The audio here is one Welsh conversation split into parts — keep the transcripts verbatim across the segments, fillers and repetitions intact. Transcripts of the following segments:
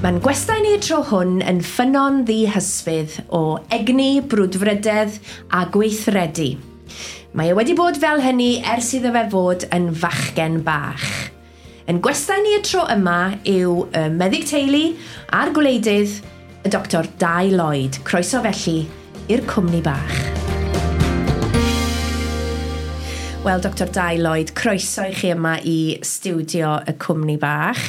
Mae'n gwestai ni y tro hwn yn ffynnon ddihysbydd o egni, brwdfrydedd a gweithredu. Mae e wedi bod fel hynny ers iddo fe fod yn fachgen bach. Yn gwestai ni y tro yma yw y meddyg teulu a'r gwleidydd, y Doctor Dai Lloyd. Croeso felly i'r cwmni bach. Wel, Doctor Dai Lloyd, croeso i chi yma i stiwdio y cwmni bach.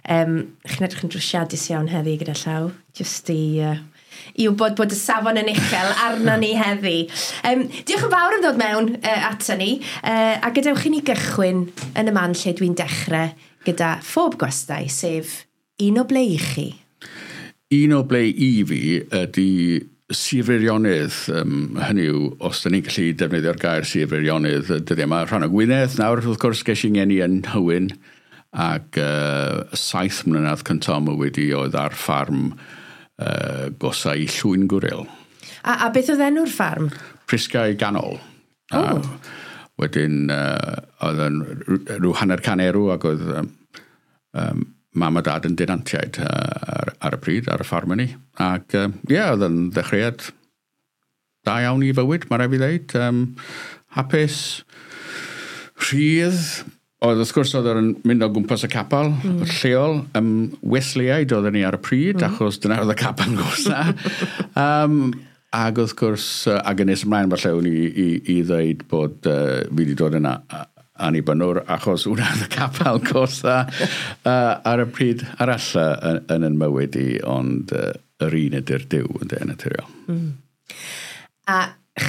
Um, chi'n edrych yn drwsiadus iawn heddi gyda llaw, jyst i, uh, i wybod bod y safon yn uchel arno ni heddi. Um, diolch yn fawr am ddod mewn uh, ato ni, uh, a gadewch i ni gychwyn yn y man lle dwi'n dechrau gyda phob gwestai, sef un o ble i chi. Un o ble i fi ydy Sir Feirionnydd, um, hynny yw, os da ni'n gallu defnyddio'r gair Sir Feirionnydd, dyddiau yma, rhan o Gwynedd nawr, wrth gwrs, ges i'n ngeni yn Nhywyn, ac uh, saith mlynedd cyntaf mywyd i oedd ar ffarm uh, gosa i Llwyn Gwril. A, a beth oedd enw'r ffarm? Prisgau Ganol. Oh. A wedyn, uh, oedd yn rhyw hanner can erw, ac oedd um, um, mam a dad yn denantiaid uh, ar, ar y pryd, ar y ffarm ni. Ac ie, uh, yeah, oedd yn ddechreuad da iawn i fywyd, mae rhaid fi ddeud. Um, hapus, rhydd. Oedd, wrth gwrs, oedd yn mynd o gwmpas y capel mm. lleol. Um, Wesleyaid oedden ni ar y pryd, mm. achos dyna oedd y capel gosa. um, ac wrth gwrs, ac yn nes ymlaen falle o'n i, i, i ddweud bod uh, fi wedi dod yna annibynnwr, achos hwnna oedd y capel gosa uh, ar y pryd arall uh, yn, yn yn mywyd i, ond uh, yr un ydy'r Duw yn de, naturiol. Mm. A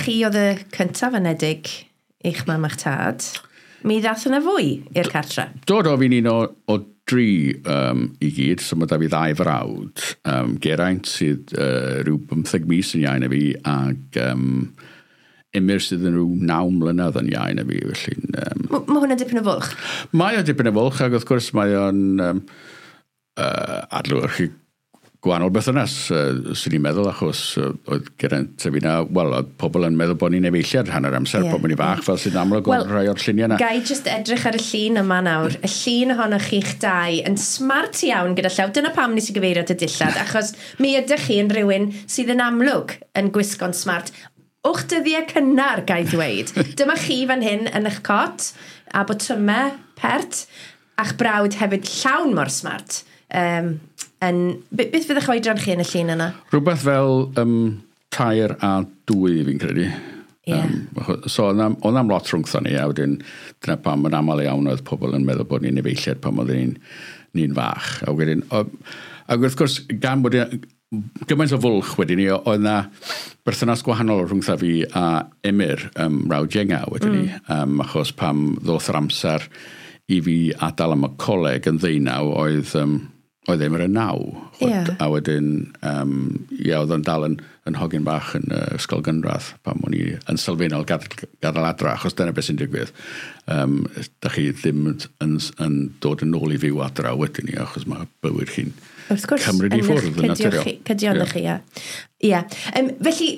chi oedd y cyntaf anedig i'ch mam a'ch tad. Mi ddath yna fwy i'r cartre? Do, do, fi'n un o, o dri um, i gyd, so mae da fi ddau frawd. Um, Geraint sydd uh, rhyw bymtheg mis yn iau na fi, ac um, Emyr sydd yn rhyw naw mlynedd yn iau na fi, felly... Um, mae hwnna'n dipyn o fwlch? Mae o'n dipyn o fwlch, ac wrth gwrs mae o'n um, uh, adlewyrchu gwahanol berthynas, uh, swn i'n meddwl, achos uh, oedd Geraint a fi na, wel, oedd pobl yn meddwl bod ni'n efeilliad rhan o'r amser, yeah. Bod ni'n fach, fel sy'n amlwg o'r rhai o'r lluniau yna. Gai jyst edrych ar y llun yma nawr. Y llun ohonoch chi'ch dau yn smart iawn gyda llaw. Dyna pam nes i gyfeirio at y dillad, achos mi ydych chi yn rhywun sydd yn amlwg yn gwisgo'n smart. O'ch dyddiau cynnar, gai ddweud. Dyma chi fan hyn yn eich cot, a botymau pert, a'ch brawd hefyd llawn mor smart. Um, yn, beth fydd eich oedran chi yn y llun yna? Rhywbeth fel um, tair a dwy, fi'n credu. Yeah. Um, so oedd na'm lot rhwngtho ni, a wedyn dyna pam yn aml iawn oedd pobl yn meddwl bod ni'n efeilliad pan oedden ni'n ni'n fach. A wedyn, o, ac wrth gwrs, gan bod gymaint o fwlch wedyn ni, oedd na berthynas gwahanol rhwngtha fi a Emyr, um, mrawd ienga wedyn ni, mm. um, achos pam ddoth yr amser i fi adael am y coleg yn ddeunaw, oedd, um, oedd Emyr yn naw. Yeah. A wedyn, um, ie, oedd o'n dal yn, yn hogyn bach yn uh, ysgol gynradd pam o'n i yn sylfaenol gadael, gadael adra, achos dyna beth sy'n digwydd. Um, da chi ddim yn, yn, yn dod yn ôl i fyw adra wedyn ni, achos mae bywyd chi'n wrth gwrs, cymryd i ffwrdd yn naturiol. Cydio yeah. chi, ie. Ie. Um, felly,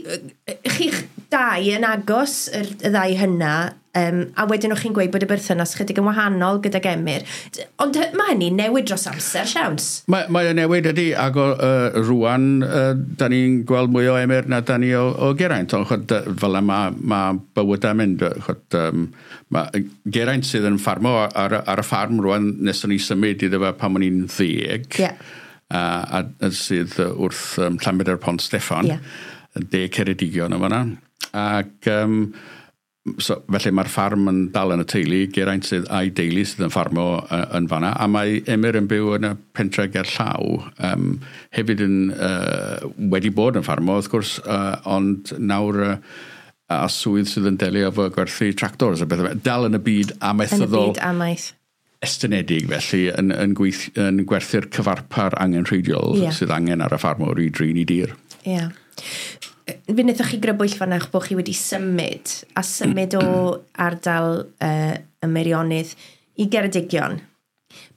chi'ch dau yn agos, yr, y ddau hynna, um, a wedyn o'ch chi'n gweud bod y berthynas chydig yn wahanol gydag Emyr. Ond mae hynny'n newid dros amser, siawns? Mae, mae o'n newid ydy, ac o, uh, rwan, uh, da ni'n gweld mwy o Emyr na da ni o, o Geraint, ond chod, fel yma mae ma bywydau'n mynd. Chod, um, ma, Geraint sydd yn ffarmo ar, ar y ffarm rwan, nes o'n i symud iddo fe pan o'n i'n ddeg. Yeah. A, a, a sydd wrth um, Llanbedr Pont Steffan, yeah. De Ceredigion yma yna. Ac um, so, felly mae'r ffarm yn dal yn y teulu, Geraint sydd a'i deulu sydd yn ffarmo uh, yn fanna, a mae Emyr yn byw yn y pentre ger llaw, um, hefyd yn, uh, wedi bod yn ffarmo, wrth gwrs, uh, ond nawr uh, a swydd sydd yn delio efo gwerthu tractors a bethau. Dal yn y byd amaethyddol. Yn y byd amaeth. Estynedig felly yn, yn, gweith, yn gwerthu'r cyfarpar angenrheidiol yeah. sydd angen ar y ffarmwr i drin i dir. Ie. Yeah. Fe wnaethoch chi grybwyll fan'na bod chi wedi symud, a symud o ardal uh, y Meirionnydd i Geredigion.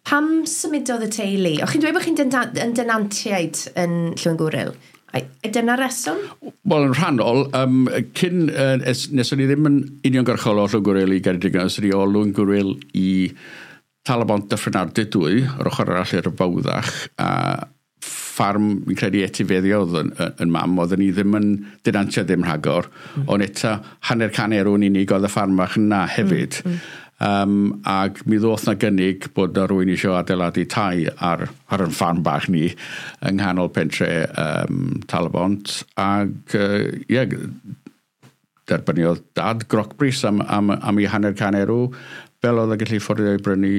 Pam symudodd y teulu? O'ch chi'n dweud bod chi'n yn denantiaid yn Llwyngwril? Ai dyna reswm? Wel, yn rhannol, um, cyn, uh, es, nes o'n i ddim yn uniongyrchol o Llwyngwril i Geredigion, es o'n i o Lwyngwril i Talybont Dyffryn Ardudwy, yr ochr arall i'r Fawddach, a ffarm, fi'n credu, etifeddio oedd yn, yn mam, oedden ni ddim yn denantiaid ddim rhagor, mm. ond eto hanner can erw'n unig oedd y ffarm fach yna hefyd. Mm. Mm. Um, ac mi ddoth na gynnig bod na rywun eisiau adeiladu tai ar, ar yn ffarm bach ni yng nghanol pentre um, Talybont, ac uh, ie, derbyniodd dad grocbris am, am, am ei hanner can erw, fel oedd yn gallu fforddio i brynu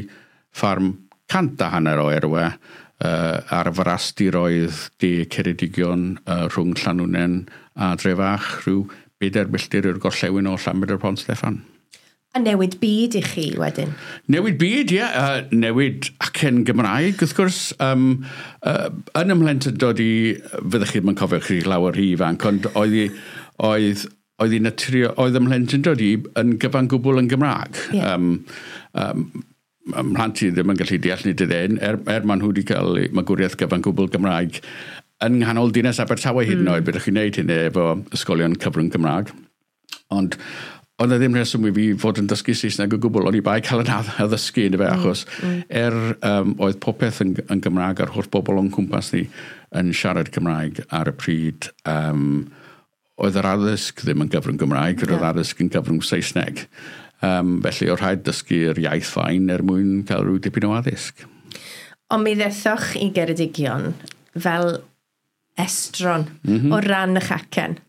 ffarm cant a hanner o erwe uh, ar frastiroedd de Ceredigion uh, rhwng Llanwnnen a Drefach, rhyw bedair milltir i'r gorllewin o Llanbedr Pont Steffan. A newid byd i chi wedyn? Newid byd, ie. Yeah. Uh, newid acen Gymraeg, wrth gwrs. Um, uh, yn ymhlentyndod i, fyddech chi ddim yn cofio chi lawer rhy ifanc, ond oedd i, oedd, oedd i naturio, oedd ymhlentyndod i yn gyfan gwbl yn Gymraeg. Yeah. Um, um, mhlant i ddim yn gallu deall ni dydyn, er, er maen nhw wedi cael magwriaeth gyfan gwbl Gymraeg yng nghanol dinas Abertawe hyd yn oed, mm. byddwch chi'n gwneud hynny efo ysgolion cyfrwng Cymraeg. Ond oedd e ddim rheswm i fi fod yn dysgu Saesneg o gwbl, o'n i bai cael yn addysgu yn fe, achos mm. er um, oedd popeth yn, yn Gymraeg a'r holl bobl o'n cwmpas ni yn siarad Cymraeg ar y pryd, um, oedd yr addysg ddim yn gyfrwng Gymraeg, yeah. Oedd addysg yn gyfrwng Saesneg. Um, felly oedd rhaid dysgu'r iaith fain er mwyn cael rhyw dipyn o addysg. Ond mi ddethoch i Geredigion fel estron mm -hmm. o ran eich acen.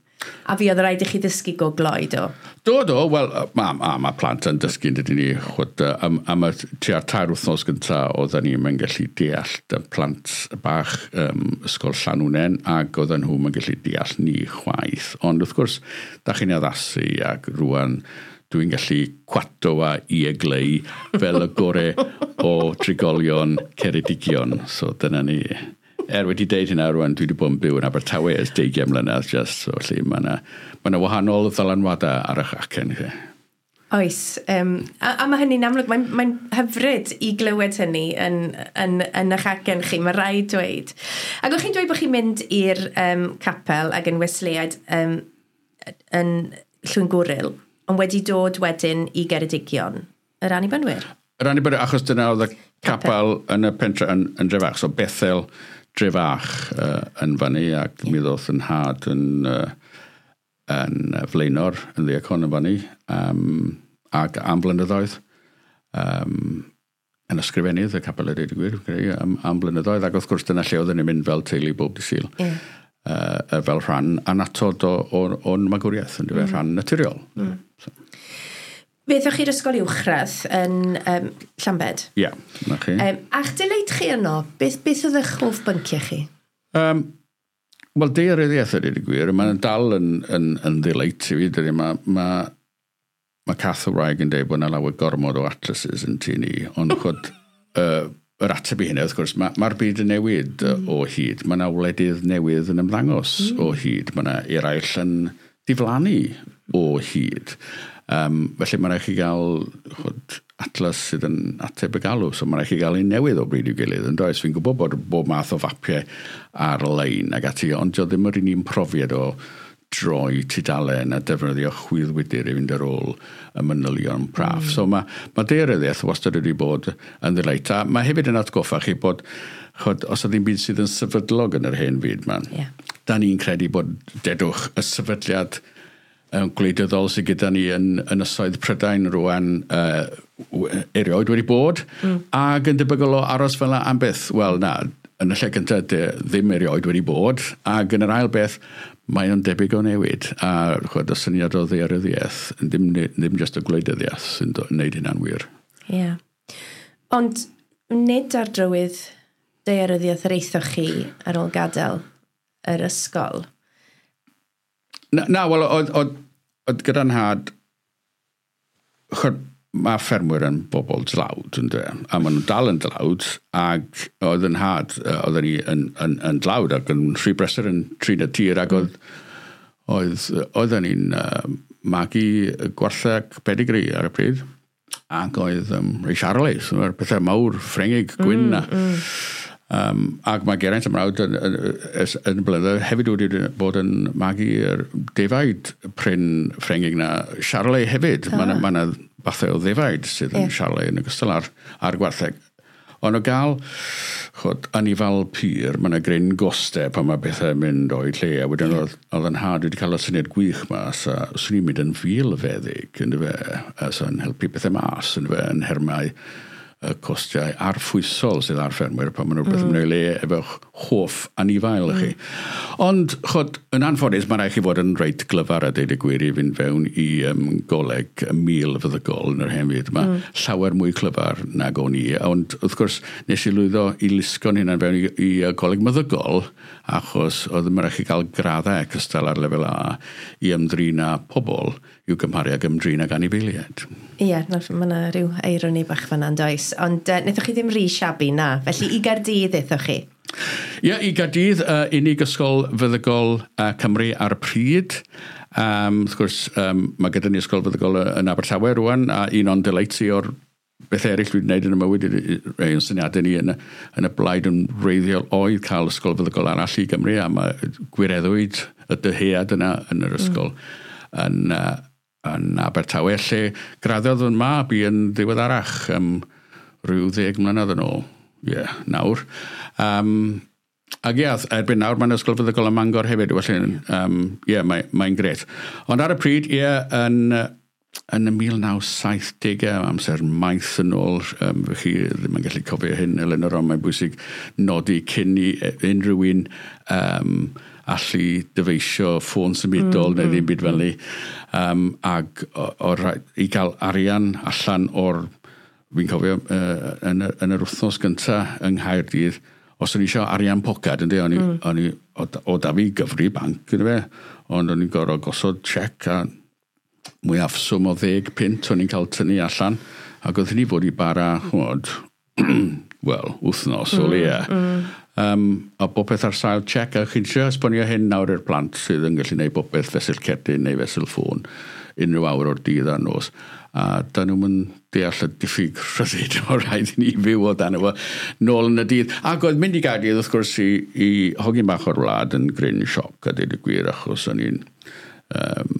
A fi oedd rhaid i chi ddysgu go gloi, do? Do, do. Wel, mae ma, ma plant yn dysgu, dydyn ni, chwyd, am, am y tua'r tair wythnos gyntaf oedden ni'n mynd gallu deall y plant bach um, ysgol Llanwnnen, ac oedden nhw'n mynd gallu deall ni chwaith. Ond wrth gwrs, da chi'n addasu ac rwan dwi'n gallu cwato a iegleu fel y gore o trigolion Ceredigion. So dyna ni. Er wedi deud hynna rwan, dwi wedi bod yn byw yn Abertawe ers deugain mlynedd, just, so felly mae yna ma wahanol ddylanwadau ar eich acen chi. Oes, um, a, a mae hynny'n amlwg, mae'n mae hyfryd i glywed hynny yn, yn, yn eich acen chi, mae rhaid dweud. Ac o'ch chi'n dweud bod chi'n mynd i'r um, capel ac yn Wesleyaid um, yn Llwyngwril, ond wedi dod wedyn i Geredigion, yr Annibynwyr? Yr Annibynwyr, achos dyna oedd y capel yn y pentre yn, yn Drefach, so Bethel Drefach uh, yn fyny, ac yeah. mi ddoth yn nhad yn, uh, yn flaenor yn ddiacon yn fyny, um, ac am blynyddoedd, um, yn ysgrifennydd y capel a dweud y gwir, am, am blynyddoedd, ac wrth gwrs dyna lle oedden ni'n mynd fel teulu bob dydd Sul, yeah. uh, fel rhan annatod o'n magwriaeth, yn mm. rhan naturiol. Mm. So. Fe chi'r ysgol uwchradd yn um, Llambed? Ie, yeah, na chi. Um, a'ch delight chi yno, beth, beth oedd eich hoff bynciau chi? Um, Wel, daearyddiaeth ydy'r gwir, mae'n dal yn, yn, yn ddelight i fi. Mae ma, ma Cath y wraig yn dweud bod yna lawer gormod o atlases yn tŷ ni, ond chod, uh, yr ateb i hynny, wrth gwrs, mae'r ma byd yn newid mm. o hyd. Mae yna wledydd newydd yn ymddangos mm. o hyd. Mae yna eraill yn diflannu o hyd. Um, felly mae'n rhaid chi gael chod, atlas sydd yn ateb y galw, so mae'n rhaid chi gael un newydd o bryd i'w gilydd, yn does? Fi'n gwybod bod bob math o fapiau ar-lein ac ati, ond dio ddim yr un un profiad o droi tudalen a defnyddio chwyddwydr i fynd ar ôl y manylion praff. Mm. So mae, mae daearyddiaeth wastad wedi bod yn ddelight. A mae hefyd yn atgoffa chi bod, chod, os ydy ddim byd sydd yn sefydlog yn yr hen fyd, man, yeah. da ni'n credu bod, dedwch, y sefydliad gwleidyddol sydd gyda ni yn ynysoedd Prydain rwan uh, erioed wedi bod, mm. ac yn debygol o aros fel am byth. Wel, na, yn y lle cyntaf ddim erioed wedi bod, ac yn yr ail beth, mae o'n debyg o newid. A chwed, y syniad o ddaearyddiaeth, ddim, ddim just y gwleidyddiaeth sy'n wneud hynna'n wir. Ie. Yeah. Ond nid ar drywydd daearyddiaeth yr eithoch chi ar ôl gadael yr ysgol? Na, na wel, oedd, oedd, oedd gyda nhad, chod, mae ffermwyr yn bobl dlawd, yn dweud, a maen nhw'n dal yn dlawd, ac oedd yn nhad, oedden ni yn, yn, yn dlawd ac yn rhy brysur yn trin y tir, ac oedd, oedd, oedden ni'n uh, magu gwartheg pedigree ar y pryd, ac oedd um, rhai Charolais, mae'r pethau mawr, Ffrengig, gwyn na. Mm, mm. Um, ac mae Geraint y mrawd yn, yn, yn, yn blynedd hefyd wedi bod yn magu'r defaid prin Ffrengig na Charolais hefyd. Ah. Mae yna ma fathau o ddefaid sydd yn yeah. Charolais yn ogystal ar, ar gwartheg. Ond o gael, chod, anifal pur, mae yna gryn gostau pan mae bethau'n mynd o'i lle. A wedyn oedd, oedd yn nhad wedi cael y syniad gwych ma, so swn i'n mynd yn filfeddyg, yndyfe, a so'n helpu bethau mas, yndyfe, yn nhermau y costiau arffwysol sydd ar ffermwyr pan maen nhw rhywbeth mm. yn mynd o'i le efo'ch hoff anifail chi. Mm. Ond, chod, yn anffodus, mae'n rhaid chi fod yn reit glyfar a deud y gwir i fynd fewn i um, goleg milfeddygol yn yr hen fyd. Mae mm. llawer mwy clyfar nag o'n i. Ond, wrth gwrs, nes i lwyddo i lusgo'n hunan fewn i, i goleg meddygol, achos oedd yn rhaid chi gael graddau cystal ar lefel A i ymdrin â pobl i'w gymharu ag ymdrin ag anifeiliaid. Ie, yeah, mae yna rhyw eironi bach fan'na, yn does? Ond uh, wnaethoch chi ddim rhy shabby na, felly i Gaerdydd aethoch chi? Ie, yeah, i Gaerdydd, uh, unig ysgol feddygol uh, Cymru ar y pryd. Um, wrth gwrs, um, mae gyda ni ysgol feddygol yn Abertawe rwan, a un o'n delights i o'r beth eraill dwi wedi gwneud yn y mywyd, rhai o'n syniadau ni yn y, yn y blaid yn wreiddiol oedd cael ysgol feddygol arall i Gymru, a mae gwireddwyd y dyhead yna yn yr ysgol mm. yn, uh, yn Abertawe, lle graddiodd yn mab i yn ddiweddarach, um, rhyw ddeg mlynedd yn ôl. Ie, yeah, nawr. Um, ac ie, erbyn nawr mae'n ysgol feddygol ym Mangor hefyd, felly, um, ie, yeah, mae'n mae grêt. Ond ar y pryd, ie, yeah, yn, yn y mil naw saithdegau, amser maith yn ôl, um, chi ddim yn gallu cofio hyn, Elinor, ond mae'n bwysig nodi cyn i unrhyw un um, allu dyfeisio ffôn symudol mm, neu ddim byd fel ni. Um, ag o, o, i gael arian allan o'r, fi'n cofio, uh, yn, yn yr wythnos gyntaf yng Nghaerdydd, os o'n i eisiau arian pocad, ynddi, o'n i, mm. o'n i o, o da fi gyfri banc, ynddi fe, ond o'n i'n gorfod gosod check a mwyafswm o ddeg punt o'n i'n cael tynnu allan, ac oedd hynny fod i bara, ch'mod, wel, wythnos mm, o leia. Mm. Um, a bopeth ar sail check, a chi'n trio esbonio hyn nawr i'r plant sydd yn gallu gwneud bopeth fesul cerdyn neu fesul ffôn unrhyw awr o'r dydd a'r nos. A da nhw'n mynd deall y diffyg rhyddid o rhaid i ni fyw o dan efo nôl yn y dydd. Ac oedd mynd i Gaerdydd, wrth gwrs, i, i hogyn bach o'r wlad yn gryn sioc, a deud y gwir, achos o'n i'n um,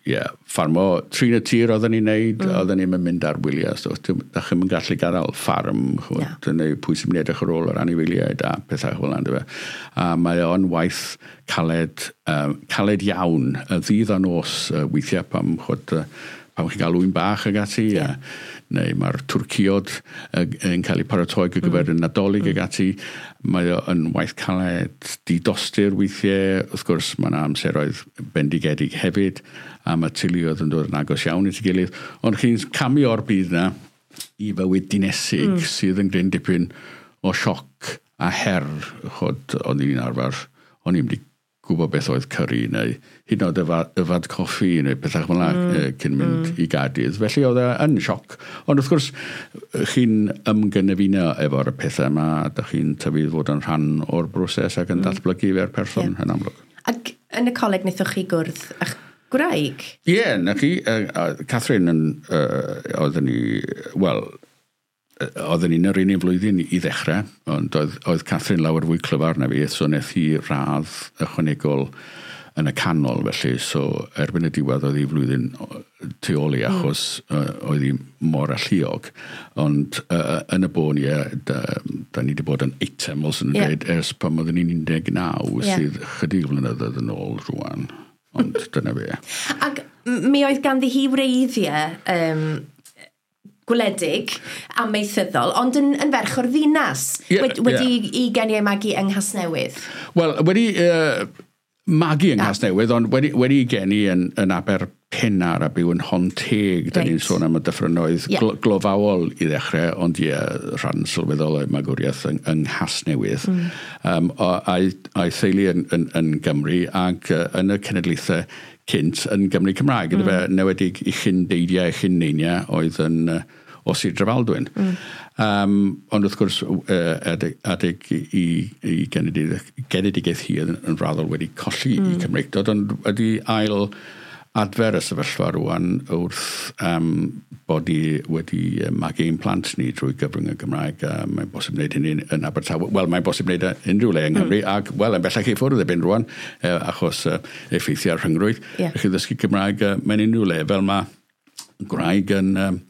yeah, ffarmo, trin y tir oedden ni'n neud, mm. oedden ni'n mynd ar wyliau, so da chi'm yn gallu gadael ffarm, ch'mod, yeah. neu pwy sy'n mynd i edrych ar ôl yr anifeiliaid a pethau fel yna, A mae o'n waith caled, um, caled iawn, y ddydd a nos, uh, weithiau pam, ch'mod, uh, pam chi'n cael ŵyn bach ag ati, yeah. a, neu mae'r twrciod uh, yn cael eu paratoi ar gyfer mm. y Nadolig mm. ag ati. Mae o yn waith caled didostur weithiau. Wrth gwrs, mae yna amseroedd bendigedig hefyd, a mae teuluoedd yn dod yn agos iawn at ei gilydd. Ond chi'n camu o'r byd na i fywyd dinesig mm. sydd yn gryn dipyn o sioc a her. Chod, o'n i'n arfer, o'n i'n mynd i gwybod beth oedd curry neu hyd yn oed yfad, yfad coffi neu pethau fel yna mm. cyn mynd mm. i Gaerdydd. Felly oedd e yn sioc. Ond wrth gwrs, chi'n ymgynefino efo'r pethau yma, a dych chi'n tyfu fod yn rhan o'r broses ac yn mm. datblygu fe'r person yeah. yn amlwg. Ac yn y coleg wnaethoch chi gwrdd â'ch gwraig? Ie, yeah, na chi. Uh, uh, Catherine yn, uh, oedden ni, wel, oedden ni'n yr un un flwyddyn i ddechrau, ond oedd, oedd Catherine lawer fwy clyfar na fi, so wnaeth hi radd ychwanegol yn y canol, felly, so erbyn y diwedd oedd hi flwyddyn tu ôl i, achos mm. uh, oedd hi mor alluog. Ond uh, yn y bôn, ie, da, da ni wedi bod yn eitem, fel sy'n yeah. dweud, ers pan oedden ni'n un deg naw, yeah. sydd chydig flynyddoedd yn ôl rwan. Ond dyna fe. Ac mi oedd ganddi hi wreiddiau um, gwledig amaethyddol, ond yn, yn ferch o'r ddinas, yeah, wedi, wedi yeah. i geni ei magu yng Nghasnewydd. Wel, wedi uh, magu yng Nghasnewydd, ond wedi, wedi geni yn, yn Aberpennar a byw yn Honteg. Da ni'n sôn am y dyffrynnoedd yeah. glo, glofaol i ddechrau, ond ie, rhan sylweddol o'i magwriaeth yng, yng Nghasnewydd. Mm. Um, a'i, a'i theulu yn, yn, yn Gymru ac uh, yn y cenedlaethau cynt yn Gymru Cymraeg. Mm. Fe newedig i chyn-deidiau, chyn-neiniau oedd yn uh, o Sir Drefaldwyn. Mm. Um, ond wrth gwrs, uh, adeg, adeg i, i, i genedigaeth hi yn, yn raddol wedi colli mm. i Cymreictod, ond wedi ail adfer y sefyllfa rwan wrth um, bod ni wedi magu ein plant ni drwy gyfrwng y Gymraeg. Uh, mae'n bosib wneud hynny yn Abertawe. Wel, mae'n bosib wneud unrhyw le yng Nghymru, mm. ac, wel, yn bellach i ffwrdd erbyn rwan, uh, achos uh, effeithiau'r rhyngrwyd. Yeah. Chi ddysgu Cymraeg uh, mewn unrhyw le, fel mae gwraig yn, um,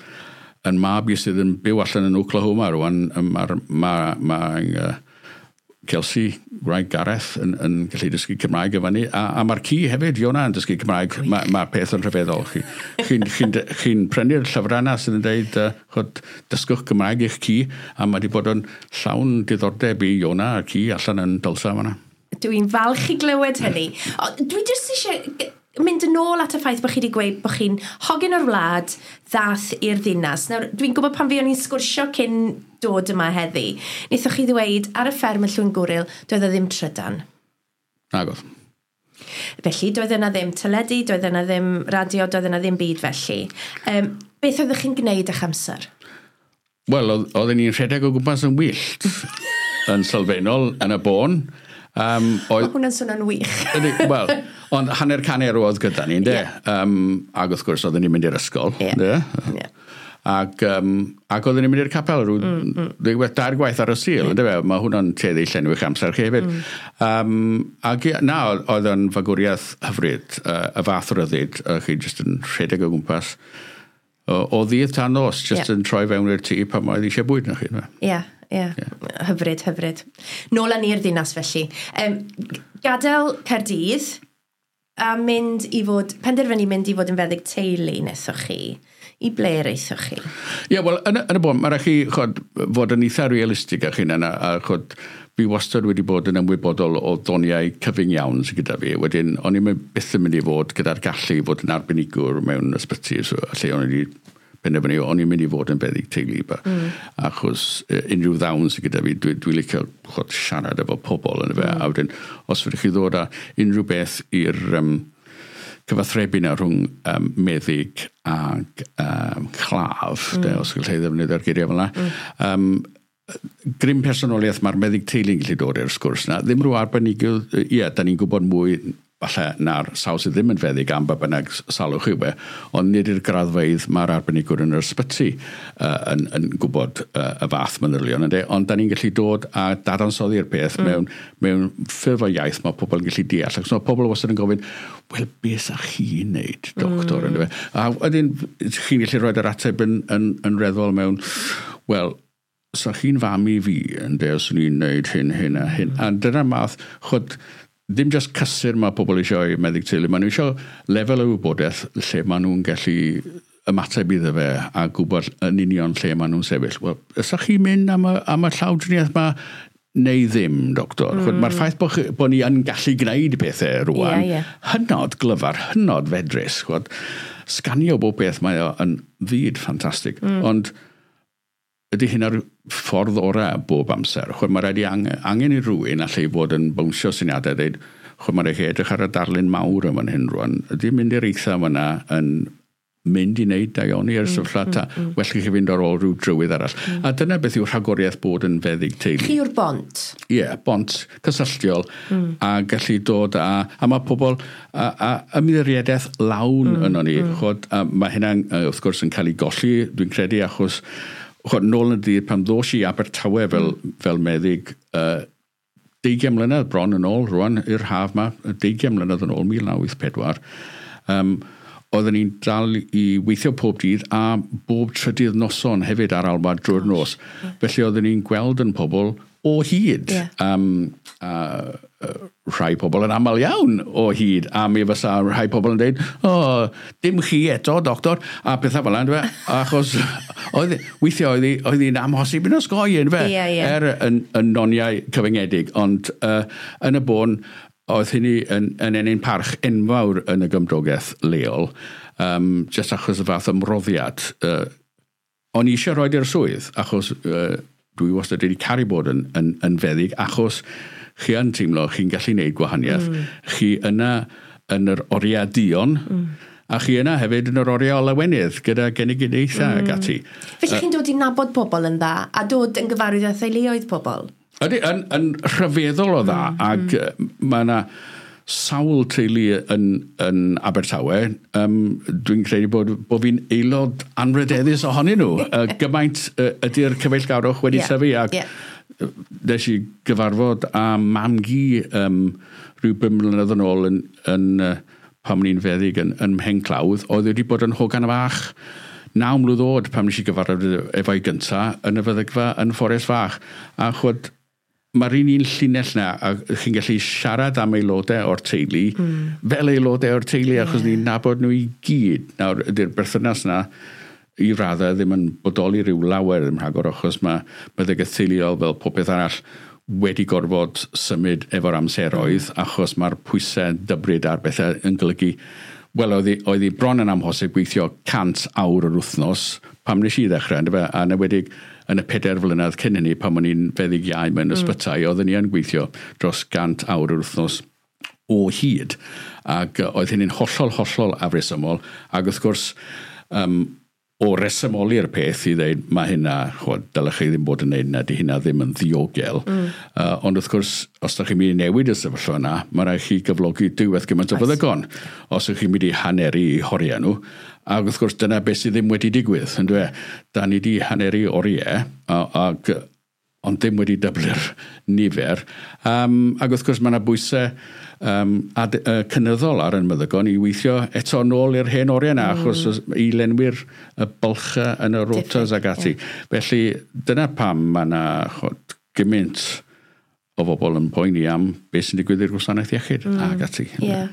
yn mab i sydd yn byw allan yn Oklahoma rwan, mae'r ma, ma, uh, Kelsey, gwraig Gareth, yn, yn gallu dysgu Cymraeg efo ni. A, a mae'r ci hefyd, Iona, yn dysgu Cymraeg. Mae ma peth yn rhyfeddol. Chi'n chi, chi, chi prynu'r llyfrau yna sydd yn dweud, uh, chod, dysgwch Cymraeg i'ch ci, a mae wedi bod yn llawn diddordeb i Iona a'r ci allan yn Dulsa fan'na. Dwi'n falch i glywed hynny. O, dwi jyst eisiau mynd yn ôl at y ffaith bod chi wedi gweud bod chi'n hogyn o'r wlad ddath i'r ddinas. Nawr, dwi'n gwybod pan fi o'n i'n sgwrsio cyn dod yma heddi, wnaethoch chi ddweud ar y fferm yn Llwyngwril, doedd e ddim trydan. Nagodd. Felly, doedd yna ddim teledu, doedd yna ddim radio, doedd yna ddim byd felly. Um, beth oeddech chi'n gwneud â'ch amser? Wel, oedden ni'n rhedeg o gwmpas yn wyllt, yn sylfaenol, yn y bôn. Um, oedd, hwnna'n swnio'n wych. Wel, ond hanner can erw oedd gyda ni, ynde? Yeah. Um, ac wrth gwrs, oedden ni'n mynd i'r ysgol, yeah. ynde? Yeah. Ac, um, ac oedden ni'n mynd i'r capel rhyw mm, mm. dair gwaith ar y Sul, yeah. ynde fe? Mae hwnna'n tueddu llenwi'ch amser chi hefyd. Mm. Um, ac na, oedd yn fagwriaeth hyfryd, uh, y fath ryddid, uh, chi jyst yn rhedeg o gwmpas o, o ddydd tan nos, jyst yeah. yn troi fewn i'r tŷ pan oedd eisiau bwyd na chi. Ie. Yeah. Ie, yeah. yeah. Hyfryd, hyfryd. Nôl â ni'r ddinas felly. Um, gadael Caerdydd a mynd i fod, penderfynu mynd i fod yn feddyg teulu nethoch chi. I ble aethoch chi? Ie, yeah, wel, yn, yn y bôn, mae rhaid chi chod, fod yn eitha realistig â chi'n yna, a chod, fi wastad wedi bod yn ymwybodol o ddoniau cyfyng iawn sydd gyda fi. Wedyn, o'n i'n byth yn mynd i fod gyda'r gallu i fod yn arbenigwr mewn ysbyty, so, lle o'n i wedi penderfynu, o'n i'n mynd i fod yn feddyg teulu, mm. achos unrhyw ddawn sydd gyda fi, dwi, dwi licio chod, siarad efo pobl yn y fe, mm. a wedyn, os fydych chi ddod â unrhyw beth i'r um, cyfathrebu na rhwng um, meddyg ag um, claf, mm. de, os gallai ddefnyddio'r geiriau fel yna, mm. um, grym personoliaeth mae'r meddyg teulu'n gallu dod i'r sgwrs na, ddim rhyw arbenigwr, ie, da ni'n gwybod mwy falle na'r sawl sydd ddim yn feddyg am ba bynnag salwch yw e, ond nid i'r graddfeydd mae'r arbenigwr yn yr ysbyty uh, yn, yn gwybod uh, y fath manylion, ynde? Ond da ni'n gallu dod a dadansoddi'r peth mm. mewn, mewn ffurf o iaith mae pobl yn gallu deall. Ac so mae pobl wastad yn gofyn, wel, beth sa chi'n neud, doctor? Mm. Ynde? A wedyn, chi'n gallu rhoi yr ateb yn, yn, yn reddfol mewn, wel, sa chi'n fam i fi, ynde, os o'n i'n neud hyn, hyn a hyn. Mm. A dyna'r math, chod, ddim just cysur mae pobl eisiau i meddyg teulu, maen nhw eisiau lefel o wybodaeth lle maen nhw'n gallu ymateb iddo fe a gwybod yn union lle maen nhw'n sefyll. Wel, ysa'ch chi'n mynd am y, am y llawdriniaeth ma neu ddim, doctor? Mm. Mae'r ffaith bod, chi, bod ni yn gallu gwneud pethau rwan, yeah, yeah. hynod glyfar, hynod fedrus. Chwod, sganio bob beth mae o yn fyd ffantastig, mm. ond ydy hynna'r ffordd orau bob amser. Chwed, mae rhaid i angen, angen i rhywun allai fod yn bownsio syniadau, dweud, chwed, mae rhaid i edrych ar y darlun mawr yn fan hyn rwan. Ydy mynd i'r eitha fyna yn mynd i wneud daioni ar y sefyllfa mm, ta, mm, mm. well i chi fynd ar ôl rhyw drywydd arall. Mm. A dyna beth yw rhagoriaeth bod yn feddyg teulu. Chi yw'r bont? Ie, yeah, bont cysylltiol mm. a gallu dod a, a mae pobl a, a ymddiriedeth lawn mm, yno ni. Mm. Chwod, a mae hynna'n wrth gwrs yn cael ei golli, dwi'n credu, achos chwod, nôl yn y dydd pan ddos i Abertawe fel, mm. fel meddyg, uh, deugain mlynedd bron yn ôl rwan, i'r haf ma, deugain mlynedd yn ôl, mil naw wyth pedwar, um, oedden ni'n dal i weithio pob dydd a bob trydydd noson hefyd ar alwad drwy'r nos. Yeah. Felly oedden ni'n gweld yn pobl o hyd. Yeah. Um, uh, rhai pobl yn aml iawn o hyd, a mi fysa rhai pobl yn dweud, o, oh, dim chi eto, doctor, a pethau fel yna, achos oedd, weithiau oedd, oedd hi'n amhosib yn osgoi, yndyfe? Yeah, yeah. Er yn, yn noniau cyfyngedig, ond uh, yn y bôn, oedd hynny yn, yn ennyn parch enfawr yn y gymdogaeth leol, um, jyst achos y fath ymroddiad. Uh, o'n i eisiau rhoi i'r swydd, achos uh, dwi wastad wedi caru bod yn, yn, yn feddyg, achos chi yn teimlo chi'n gallu gwneud gwahaniaeth. Mm. Chi yna yn yr oriau duon, mm. a chi yna hefyd yn yr oriau lawenydd gyda genedigaethau mm. ac ati. Felly chi'n dod i nabod pobl yn dda, a dod yn gyfarwydd â theuluoedd pobl? Ydy, yn, yn rhyfeddol o dda, mm. ac mm. mae yna sawl teulu yn, yn Abertawe. Um, dwi'n credu bod, bod fi'n aelod anrydeddus ohonyn nhw. uh, gymaint uh, ydy'r cyfeillgarwch wedi yeah. tyfu, ac yeah. nes i gyfarfod â mam-gu um, rhyw bum mlynedd yn ôl yn, yn, uh, pan o'n i'n feddyg yn, yn Mhenclawdd, oedd wedi bod yn hogan fach naw mlwydd oed pan nes i gyfarfod efo'i gynta yn y feddygfa yn Fforest Fach. A chwod, mae'r un un llinell na, a chi'n gallu siarad am aelodau o'r teulu, mm. fel aelodau o'r teulu, achos yeah. ni'n nabod nhw i gyd. Nawr, ydy'r berthynas na, i raddau ddim yn bodoli rhyw lawer ddim rhagor, achos mae meddygaeth teuluol fel popeth arall wedi gorfod symud efo'r amseroedd, mm. achos mae'r pwysau dybryd ar bethau yn golygu, wel, oedd hi, oedd hi bron yn amhosib gweithio cant awr yr wythnos pam nes i ddechrau, yndyfe? A enwedig yn y pedair flynedd cyn hynny, pan o'n i'n feddyg iau mewn mm. ysbytai, oedden ni yn gweithio dros gant awr yr wythnos o hyd. Ac oedd hynny'n hollol, hollol afresymol. Ac wrth gwrs, um, o resymoli'r peth i ddeud, mae hynna, chwod, dylech chi ddim bod yn neud hynna, di hynna ddim yn ddiogel. Mm. Uh, ond wrth gwrs, os ydych chi'n mynd i newid y sefyllfa yna, mae rhaid chi gyflogi diwedd gymaint o feddygon. Os ydych chi'n mynd i haneru i horiau nhw, ac wrth gwrs dyna beth sydd ddim wedi digwydd. Yndyfe? Da ni di haneru oriau, ac ond ddim wedi dyblu'r nifer. Um, ac wrth gwrs mae yna bwysau um, ad, uh, cynyddol ar yn meddygon i weithio eto nôl i'r hen oriau yna, mm. achos i lenwi'r y bylchau yn y rotas ac ati. Yeah. Felly dyna pam mae yna gymaint o bobl yn poeni am beth sy'n digwydd i'r gwasanaeth iechyd mm. ac ati. Yeah.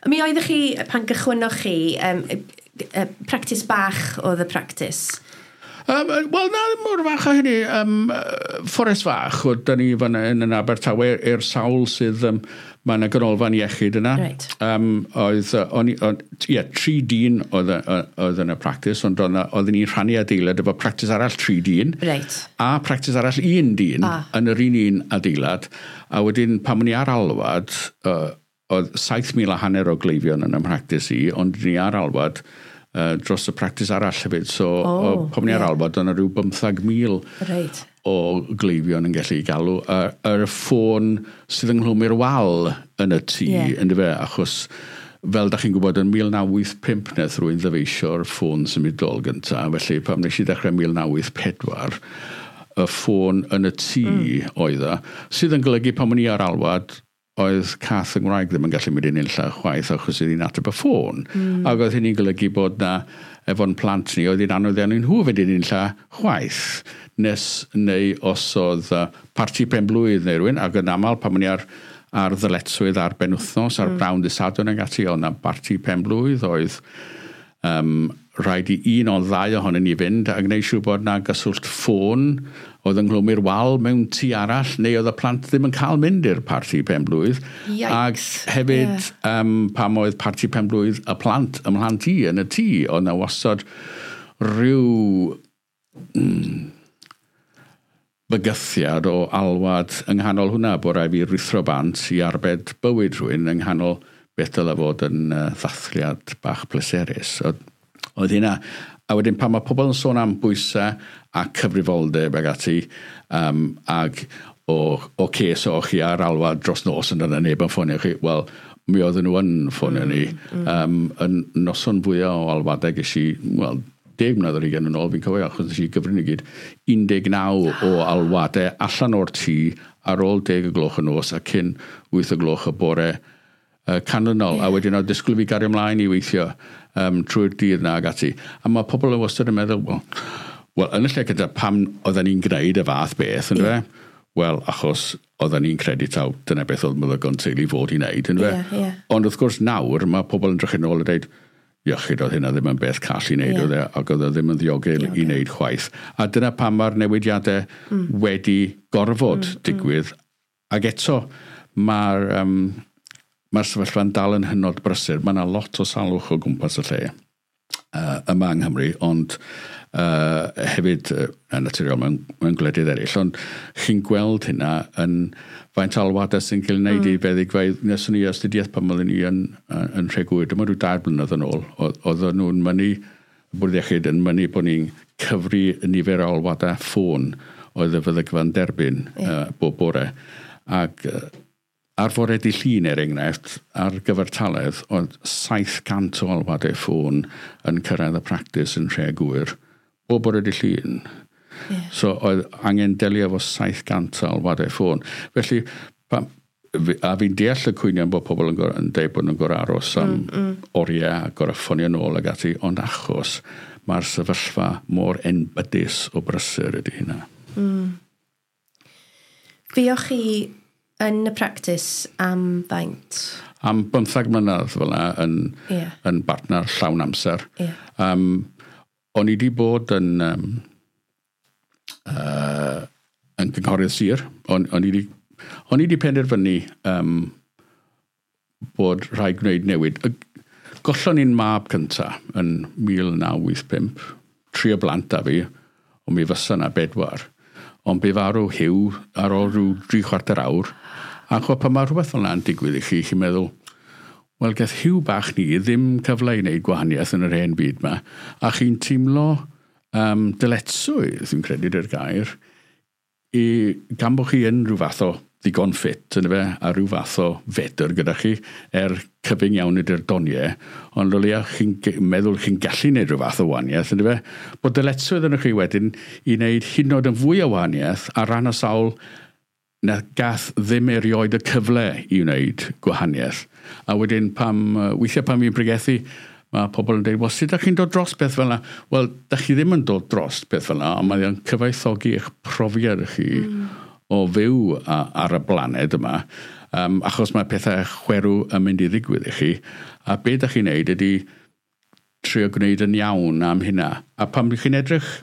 Mi oeddech chi, pan gychwynnoch chi, um, practis bach oedd y practis? Um, Wel, na, ddim mor fach o hynny. Um, Fforest Fach, oedd da ni fan yn, yn Abertawe, i'r sawl sydd, um, mae yna ganolfan iechyd yna. Right. Um, oedd, on, on, ie, tri dyn oedd, oedd yn y practis, ond oedden ni'n rhannu adeilad efo practis arall tri dyn. Right. A practis arall un dyn ah. yn yr un un adeilad. A wedyn, pan o'n i ar alwad, uh, oedd saith mil a hanner o gleifion yn y mhractis i, ond ni ar alwad Uh, dros y practis arall hefyd. So, oh, pan ni ar yeah. alwad, oedd yna rhyw bymthag mil right. o gleifion yn gallu galw. Yr uh, ffôn sydd ynghlwm i'r wal yn y tŷ, yeah. yndyfe, achos fel da chi'n gwybod, yn mil naw wyth pump nath rhywun ddyfeisio'r ffôn symudol gyntaf. Felly, pan nes i ddechrau mil naw wyth pedwar, y ffôn yn y tŷ mm. oedd o, sydd yn golygu pan o'n i ar alwad, oedd cath yng Nghymraeg ddim yn gallu mynd i'n unlla chwaith achos oedd hi'n ateb y ffôn. Mm. Ac oedd hynny'n golygu bod na efo'n plant ni, oedd hi'n anodd iawn i nhw fynd i'n unlla chwaith. Nes neu os oedd uh, parti penblwydd neu rhywun, ac yn aml pan o'n i ar, ar ddyletswydd ar benwythnos, ar mm. brawn dydd Sadwrn ac ati, oedd na barti penblwydd oedd um, rhaid i un o ddau ohonyn ni fynd a gwneud siŵr bod na gyswllt ffôn oedd ynghlwm i'r wal mewn tŷ arall, neu oedd y plant ddim yn cael mynd i'r parti penblwydd. Yikes. Ac hefyd, yeah. um, pam oedd parti penblwydd y plant ym mhlant i yn y tŷ, oedd na wastad rhyw mm, bygythiad o alwad yng nghanol hwnna, bod rhaid fi ruthro bant i arbed bywyd rhywun yng nghanol beth dylai fod yn uh, ddathliad bach pleserus. Oedd, oedd hynna. A wedyn pan mae pobl yn sôn am bwysau a cyfrifoldeb ag ati, um, ag o, o ces o chi ar alwad dros nos yn yna neb yn ffonio chi, wel, mi oedden nhw yn ffonio mm, ni. Mm. Um, yn noson fwyaf o alwadau ges i, wel, deg mlynedd ar hugain yn ôl, fi'n cofio, achos nes i gyfrin i gyd, un deg naw o alwadau allan o'r tŷ ar ôl deg y gloch y nos a cyn wyth y gloch y bore uh, canlynol. Yeah. A wedyn oedd disgwyl fi gario ymlaen i weithio um, trwy'r dydd na ag ati. A mae pobl yn wastad yn meddwl, wel, well, yn y lle gyda pam oedden ni'n gwneud y fath beth, yndyfe? Yeah. Wel, achos oedden ni'n credu taw, dyna beth oedd meddygon teulu fod i wneud, yndyfe? Yeah, yeah. Ond wrth gwrs nawr, mae pobl yn drychu nôl a dweud, iechyd oedd hynna ddim yn beth call i wneud, yeah. oedd e, ac oedd e ddim yn ddiogel i wneud chwaith. A dyna pam mae'r newidiadau mm. wedi gorfod mm, digwydd. Mm. Ac eto, mae'r um, mae'r sefyllfa'n dal yn hynod brysur. Mae yna lot o salwch o gwmpas y lle uh, yma yng Nghymru, ond uh, hefyd uh, yn naturiol mewn, mewn gwledydd eraill. Ond chi'n gweld hynna yn faint alwadau sy'n cael ei wneud mm. i feddygfeydd. Neswn ni astudiaeth pan oedden ni yn, yn Nhregŵyr, dyma rhyw dair blynedd yn ôl, oedden nhw'n mynnu, y bwrdd iechyd yn mynnu bod ni'n cyfri nifer o alwadau ffôn oedd y feddygfa'n derbyn yeah. uh, bob bore. Ac uh, ar fore dydd Llun, er enghraifft, ar gyfartaledd, oedd saith cant o alwadau ffôn yn cyrraedd y practis yn Nhregŵyr, bob bore dydd Llun. Yeah. So oedd angen delio efo saith cant o alwadau ffôn. Felly, pa, a fi'n deall y cwynion bod pobl yn, gor, yn deud bod nhw'n gorau aros am mm, mm. oriau a gorau ffonio nôl ag ati, ond achos Mae'r sefyllfa mor enbydus o brysur ydy hynna. Mm. Fuoch chi yn y practis am faint? Am bymthag mlynedd fel yna yn, yeah. yn bartner llawn amser. Yeah. Um, o'n i wedi bod yn, um, uh, yn gynghorydd sir. O'n, o'n i wedi o'n i wedi penderfynu um, bod rhaid gwneud newid. Gollon ni'n mab cynta yn mil naw wyth pump, tri o blant a fi, ond mi fysa na bedwar. Ond bu farw Hugh ar ôl rhyw dri chwarter awr. A chwa, pan mae rhywbeth fel yna'n digwydd i chi, chi'n meddwl, wel, gath Hugh bach ni ddim cyfle i wneud gwahaniaeth yn yr hen byd yma. A chi'n teimlo um, dyletswydd, dwi'n credu dy'r gair, i, gan bod chi yn rhyw fath o ddigon ffit, yn fe, a rhyw fath o fedr gyda chi, er cyfyng iawn ydy'r doniau, ond o leia chi'n meddwl chi'n gallu gwneud rhyw fath o wahaniaeth, yn fe, bod dyletswydd yn chi wedyn i wneud hyd yn oed yn fwy o wahaniaeth ar ran y sawl na gath ddim erioed y cyfle i wneud gwahaniaeth. A wedyn pam, weithiau pan fi'n pregethu, mae pobl yn dweud, wel, sut ydych chi'n dod dros beth fel yna? Wel, dach chi ddim yn dod dros beth fel yna, ond mae'n cyfoethogi eich profiad chi mm. o fyw ar y blaned yma, um, achos mae pethau chwerw yn mynd i ddigwydd i chi, a be ydych chi'n neud ydy trio gwneud yn iawn am hynna. A pan chi'n edrych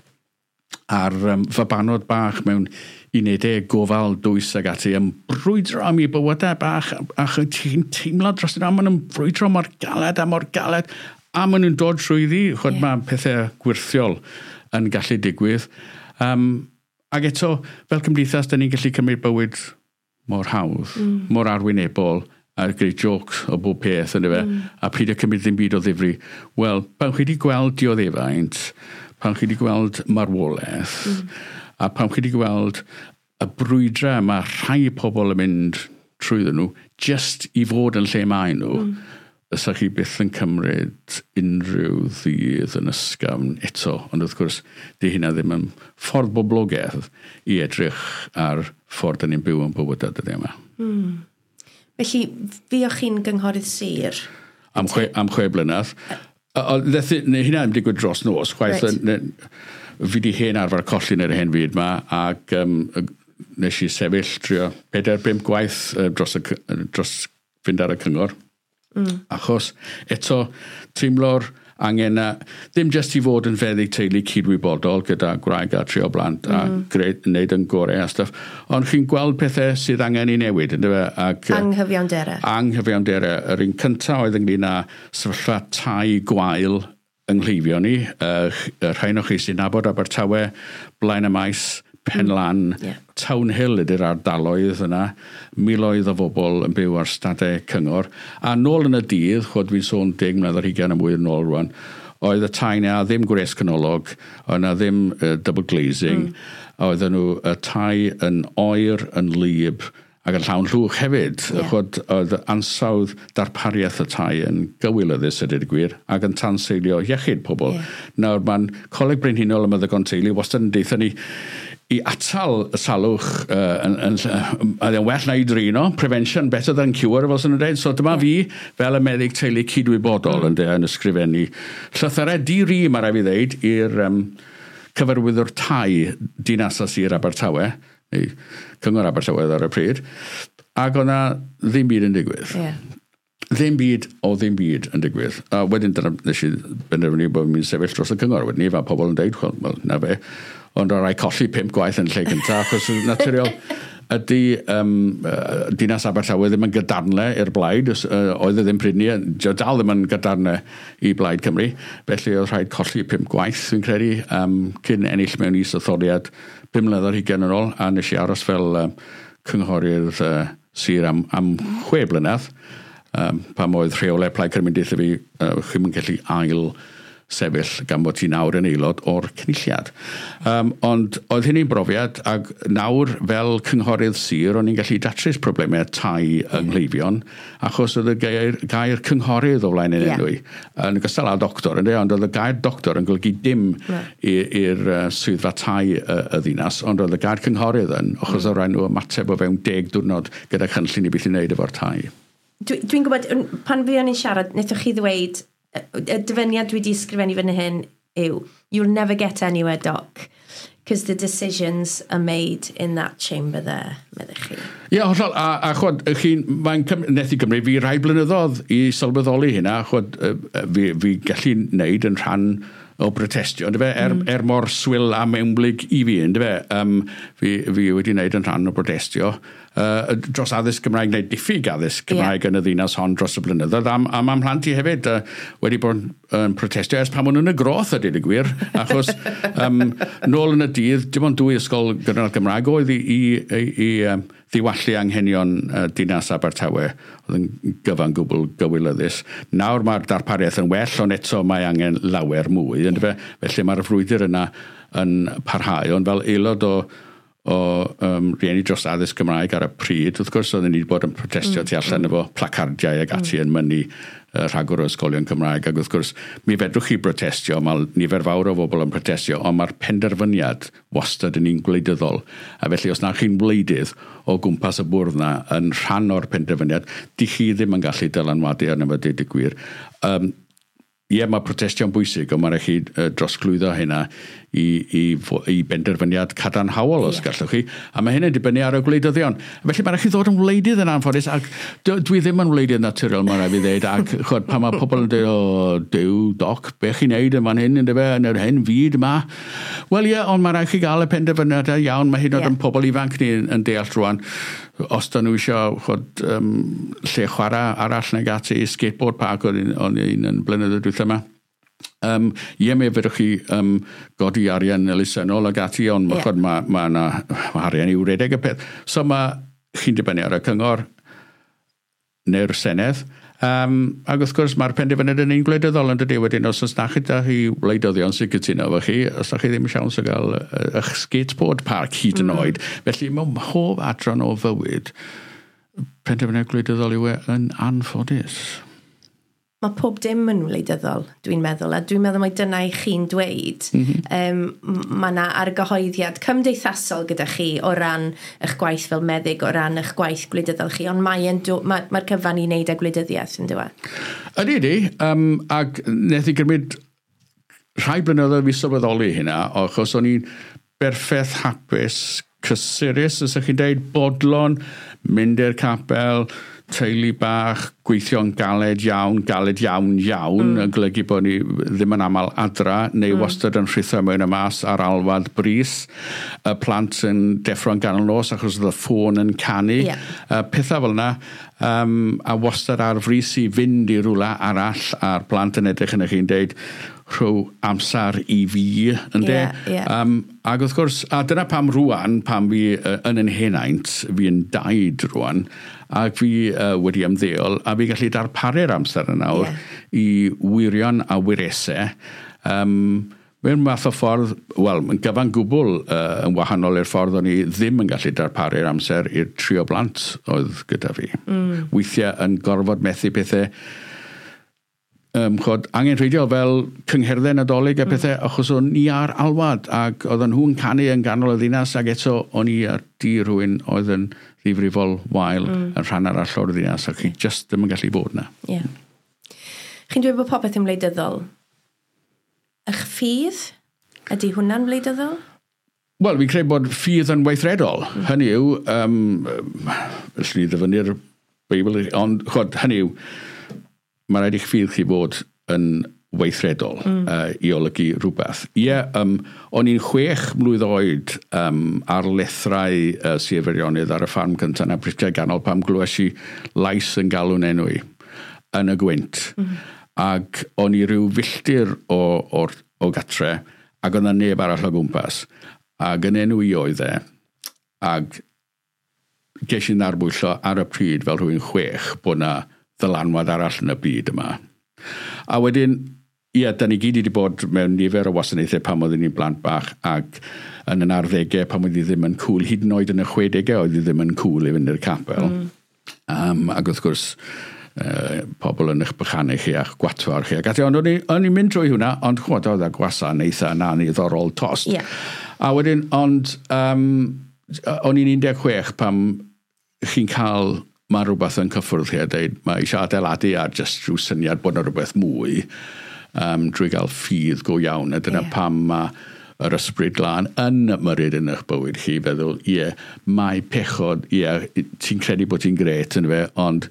ar um, fabanod bach mewn unedau gofal dwys ag ati yn brwydro am eu bywydau bach, a chi'n teimlo dros yna, maen nhw'n brwydro mor galed a mor galed, a maen nhw'n dod trwyddi, chod yeah. Mae pethau gwirthiol yn gallu digwydd. Um, ac eto, fel cymdeithas, da ni'n gallu cymryd bywyd mor hawdd, mm. mor arwynebol, a gwneud jokes o bob peth, yn fe, mm. a pryd y cymryd ddim byd o ddifri. Wel, pan chi wedi gweld dioddefaint, pan chi wedi gweld marwolaeth, mm. a pan chi wedi gweld y brwydrau mae rhai pobl yn mynd trwyddyn nhw, just i fod yn lle maen nhw, mm. fysa chi byth yn cymryd unrhyw ddydd yn ysgafn eto. Ond wrth gwrs, di hynna ddim yn ffordd boblogaidd i edrych ar ffordd dyn ni'n byw yn bywydau dyddiau yma. Mm. Felly, fuoch chi'n gynghorydd sir? Am chwe, am chwe blynedd. Neu hynna ddim digwydd dros nos. Chwaith, right. Fi di hen arfer colli yn yr hen fyd yma, ac um, nes i sefyll trio pedair, bump gwaith uh, dros, y, dros fynd ar y cyngor. Mm. Achos eto teimlo'r angen na, ddim jyst i fod yn feddyg teulu cydwybodol gyda gwraig a tri o blant mm. a gwneud yn gorau a stuff, ond chi'n gweld pethau sydd angen i newid, yndyfe? Ac, anghyfiawnderau. Anghyfiawnderau. Yr un cyntaf oedd ynglyn â sefyllfa tai gwael yng nghleifion ni, y rhai o chi sy'n nabod Abertawe, Blaen y Maes, Penlan, mm, yeah. Town Hill ydy'r ardaloedd yna, miloedd o bobl yn byw ar stadau cyngor. A nôl yn y dydd, chod fi'n sôn deg mlynedd ar hugain a mwy yn ôl rwan, oedd y tai na ddim gwres canolog, oedd na ddim uh, double glazing, mm. oedden nhw y tai yn oer, yn wlyb, ac yn llawn llwch hefyd. Yeah. Chod, oedd ansawdd darpariaeth y tai yn gywilyddus a dweud y gwir, ac yn tanseilio iechyd pobl. Yeah. Nawr, mae'n Coleg Brenhinol y Meddygon Teulu wastad yn deutha ni i atal y salwch, uh, yn, yn, yn, yn well na i drino, prevention better than cure, fel sy'n nhw'n dweud. So dyma yeah. fi, fel y meddyg teulu cydwybodol, mm. yn, de, yn ysgrifennu llythyrau di-ri, mae rhaid fi ddeud, i'r um, cyfarwyddwr tai dinas a sir Abertawe, neu Cyngor Abertawe ar y pryd, ac o'na ddim byd yn digwydd. Yeah. Ddim byd o ddim byd yn digwydd. A wedyn dyna nes i benderfynu bod fi'n sefyll dros y cyngor. Wedyn ni, fel pobl yn deud, wel, well, na fe. Ond o rai colli pump gwaith yn lle cyntaf, achos naturiol ydy um, uh, dinas Abertawe ddim yn gadarnle i'r blaid, uh, oedd e ddim pryd ni, dal ddim yn gadarnle i Blaid Cymru, felly oedd rhaid colli pump gwaith, fi'n credu, um, cyn ennill mewn is-etholiad pum mlynedd ar hugain yn ôl, a nes i aros fel um, cynghorydd uh, sir am, am chwe blynedd, um, pam oedd rheolau Plaid Cymru'n deutha fi, uh, chi'm yn gallu ail sefyll gan bod ti nawr yn aelod o'r cynulliad. Um, ond oedd hynny'n brofiad, ac nawr fel cynghorydd sir, o'n i'n gallu datrys problemau tai yng nghleifion, achos oedd y gair, gair cynghorydd o flaen yn yeah. enw i. Yn ogystal â doctor, ynddo, ond oedd y gair doctor yn golygu dim yeah. i'r uh, swyddfa tai y, y ddinas, ond oedd y gair cynghorydd yn, achos mm. oedd rhaid nhw ymateb o fewn deg diwrnod gyda chynllun i beth i wneud efo'r tai. Dwi'n dwi gwybod, pan fuon ni'n siarad, wnaethoch chi ddweud, y dyfyniad dwi wedi ysgrifennu fan hyn, yw, "You'll never get anywhere, Doc, because the decisions are made in that chamber there," meddech chi. Ie, yeah, hollol. A, a chwod, chi'n, mae'n neth i gymryd fi rai blynyddoedd i sylweddoli hynna. Chwod, fi, fi gallu wneud yn rhan o brotestio, yndyfe? Er, mm. er mor swil a mewnblyg i fi, yndyfe? Um, fi, fi wedi wneud yn rhan o brotestio uh, dros addysg Gymraeg, neu diffyg addysg Cymraeg yeah. yn y ddinas hon dros y blynyddoedd. A, a mae mhlant i hefyd uh, wedi bod yn protestio ers pan maen nhw'n y groth, a dweud y gwir. Achos um, nôl yn y dydd, dim ond dwy ysgol gynradd Gymraeg oedd i, i, i, i um, ddiwallu anghenion uh, dinas Abertawe, oedd yn gyfan gwbl gywilyddus. Nawr mae'r darpariaeth yn well, ond eto mae angen lawer mwy. Yeah. Felly mae'r frwydr yna yn parhau, ond fel aelod o o um, rieni dros addysg Gymraeg ar y pryd, wrth gwrs oedden ni wedi bod yn protestio mm. tu allan mm. efo placardiau ac ati mm. yn mynnu uh, rhagor o ysgolion Cymraeg, ac wrth gwrs mi fedrwch chi brotestio, mae nifer fawr o bobl yn protestio, ond mae'r penderfyniad wastad yn un gwleidyddol, a felly os na chi'n wleidydd o gwmpas y bwrdd na yn rhan o'r penderfyniad, di chi ddim yn gallu dylanwadu arno fo, deud y gwir. Um, Ie, mae protestio'n bwysig, ond mae'n rhaid chi uh, drosglwyddo hynna i, i, i benderfyniad cadarnhaol os yeah. gallwch chi. A mae hynny'n dibynnu ar y gwleidyddion. Felly mae'n rhaid chi ddod yn wleidydd yn anffodus, ac dwi ddim yn wleidydd naturiol, mae'n rhaid fi ddeud, ac chod, pan mae pobl yn dweud, "O, Duw, Doc, be chi'n neud yn fan hyn, yn dyfe, yn yr hen fyd yma?" Wel ie, ond mae'n rhaid chi gael y penderfyniadau iawn, mae hyd yn oed yeah. yn pobl ifanc ni yn, yn deall rwan, os da nhw eisiau chod, um, lle chwarae arall nag ati, skateboard park o'n un, un yn blynyddoedd dwytha yma. Um, ie, mi fedrwch chi um, godi arian elusennol ag ati, ond yeah. mae ma, ma, ma arian i'w redeg y peth. So mae chi'n dibynnu ar y cyngor neu'r Senedd. Um, ac wrth gwrs mae'r penderfyniad yn un gwleidyddol yn dydy wedyn, os oes na chi da chi wleidyddion sy'n cytuno efo chi, os da chi ddim siawns o gael eich skateboard park hyd yn mm. oed. Felly mewn mhob adran o fywyd, penderfyniad gwleidyddol yw e yn anffodus. Mae pob dim yn wleidyddol, dwi'n meddwl, a dwi'n meddwl mai dyna i chi'n dweud. Mm -hmm. um, mae yna argyhoeddiad cymdeithasol gyda chi o ran eich gwaith fel meddyg, o ran eich gwaith gwleidyddol chi, ond mae'r mae, mae cyfan i wneud â gwleidyddiaeth, yn dweud? Ydy, ydy, um, ac wnaeth i gymryd rhai blynyddoedd fi sylweddoli hynna, achos o'n i'n berffaith hapus, cysurus, os ydych chi'n dweud, bodlon, mynd i'r capel, teulu bach, gweithio'n galed iawn, galed iawn iawn, mm. yn golygu bod ni ddim yn aml adra, neu mm. wastad yn rhithro mewn y mas ar alwad brys, y plant yn deffro'n ganol nos achos oedd y ffôn yn canu, yeah. uh, pethau fel yna, um, a wastad ar frys i fynd i rywle arall, a'r plant yn edrych yn eich chi'n deud, rhyw amser i fi, ynde? Yeah, yeah. Um, ac wrth gwrs, a dyna pam rwan, pam fi uh, yn yn henaint, fi yn daid rwan, ac fi uh, wedi ymddeol, a fi gallu darparu'r amser yna nawr yeah. i wyrion a wyresau. Um, mewn math o ffordd, wel, yn gyfan gwbl uh, yn wahanol i'r ffordd o'n i ddim yn gallu darparu'r amser i'r tri o blant oedd gyda fi. Mm. Weithiau yn gorfod methu pethau um, chod, angenrheidiol fel cyngherddau Nadolig a pethau, mm. achos o'n i ar alwad ac oedden nhw'n canu yn ganol y ddinas, ac eto o'n i ar di rhywun oedd yn ddifrifol wael mm. yn rhan arall o'r ddinas, ac chi just ddim yn gallu bod na. Yeah. Chi'n dweud bod popeth yn wleidyddol. Eich ffydd? Ydy hwnna'n wleidyddol? Wel, fi'n credu bod ffydd yn weithredol. Mm. Hynny yw, um, allwn ni ddyfynnu'r Beibl, ond chod, hynny yw, mae rhaid i'ch ffydd chi fod yn weithredol mm. uh, i olygu rhywbeth. Ie, yeah, um, o'n i'n chwech mlwydd oed um, ar lethrau uh, Sir Feirionnydd ar y ffarm cyntaf yn Aberystwyth Ganol pam glywes i lais yn galw'n enw i yn y gwynt. Mm. Ac o'n i ryw filltir o, o, o gatre, ac oedd 'na neb arall o gwmpas. Ac yn enw i oedd e, ac ges i'n ddarbwyllo ar y pryd fel rhywun chwech bod 'na ddylanwad arall yn y byd yma. A wedyn, ie, da ni gyd wedi bod mewn nifer o wasanaethau pan oeddwn ni'n blant bach, ac yn yn arddegau pan oedd hi ddim yn cool, hyd yn oed yn y chwedegau oedd hi ddim yn cool i fynd i'r capel. Mm. Um, ac wrth gwrs, uh, pobl yn eich bychanu chi a'ch gwatwar chi. Ac ati, ond o'n i'n mynd trwy hwnna, ond chwod oedd y gwasanaethau yna niddorol tost. Yeah. A wedyn, ond um, o'n i'n un deg chwech pam chi'n cael, mae rhywbeth yn cyffwrdd chi a dweud, mae eisiau adeiladu ar just rhyw syniad bod yna rhywbeth mwy. um, drwy gael ffydd go iawn. A dyna yeah. pam mae yr ysbryd glân yn ymyrryd yn eich bywyd chi, feddwl, ie, mae pechod, ie, ti'n credu bod ti'n gret yn fe, ond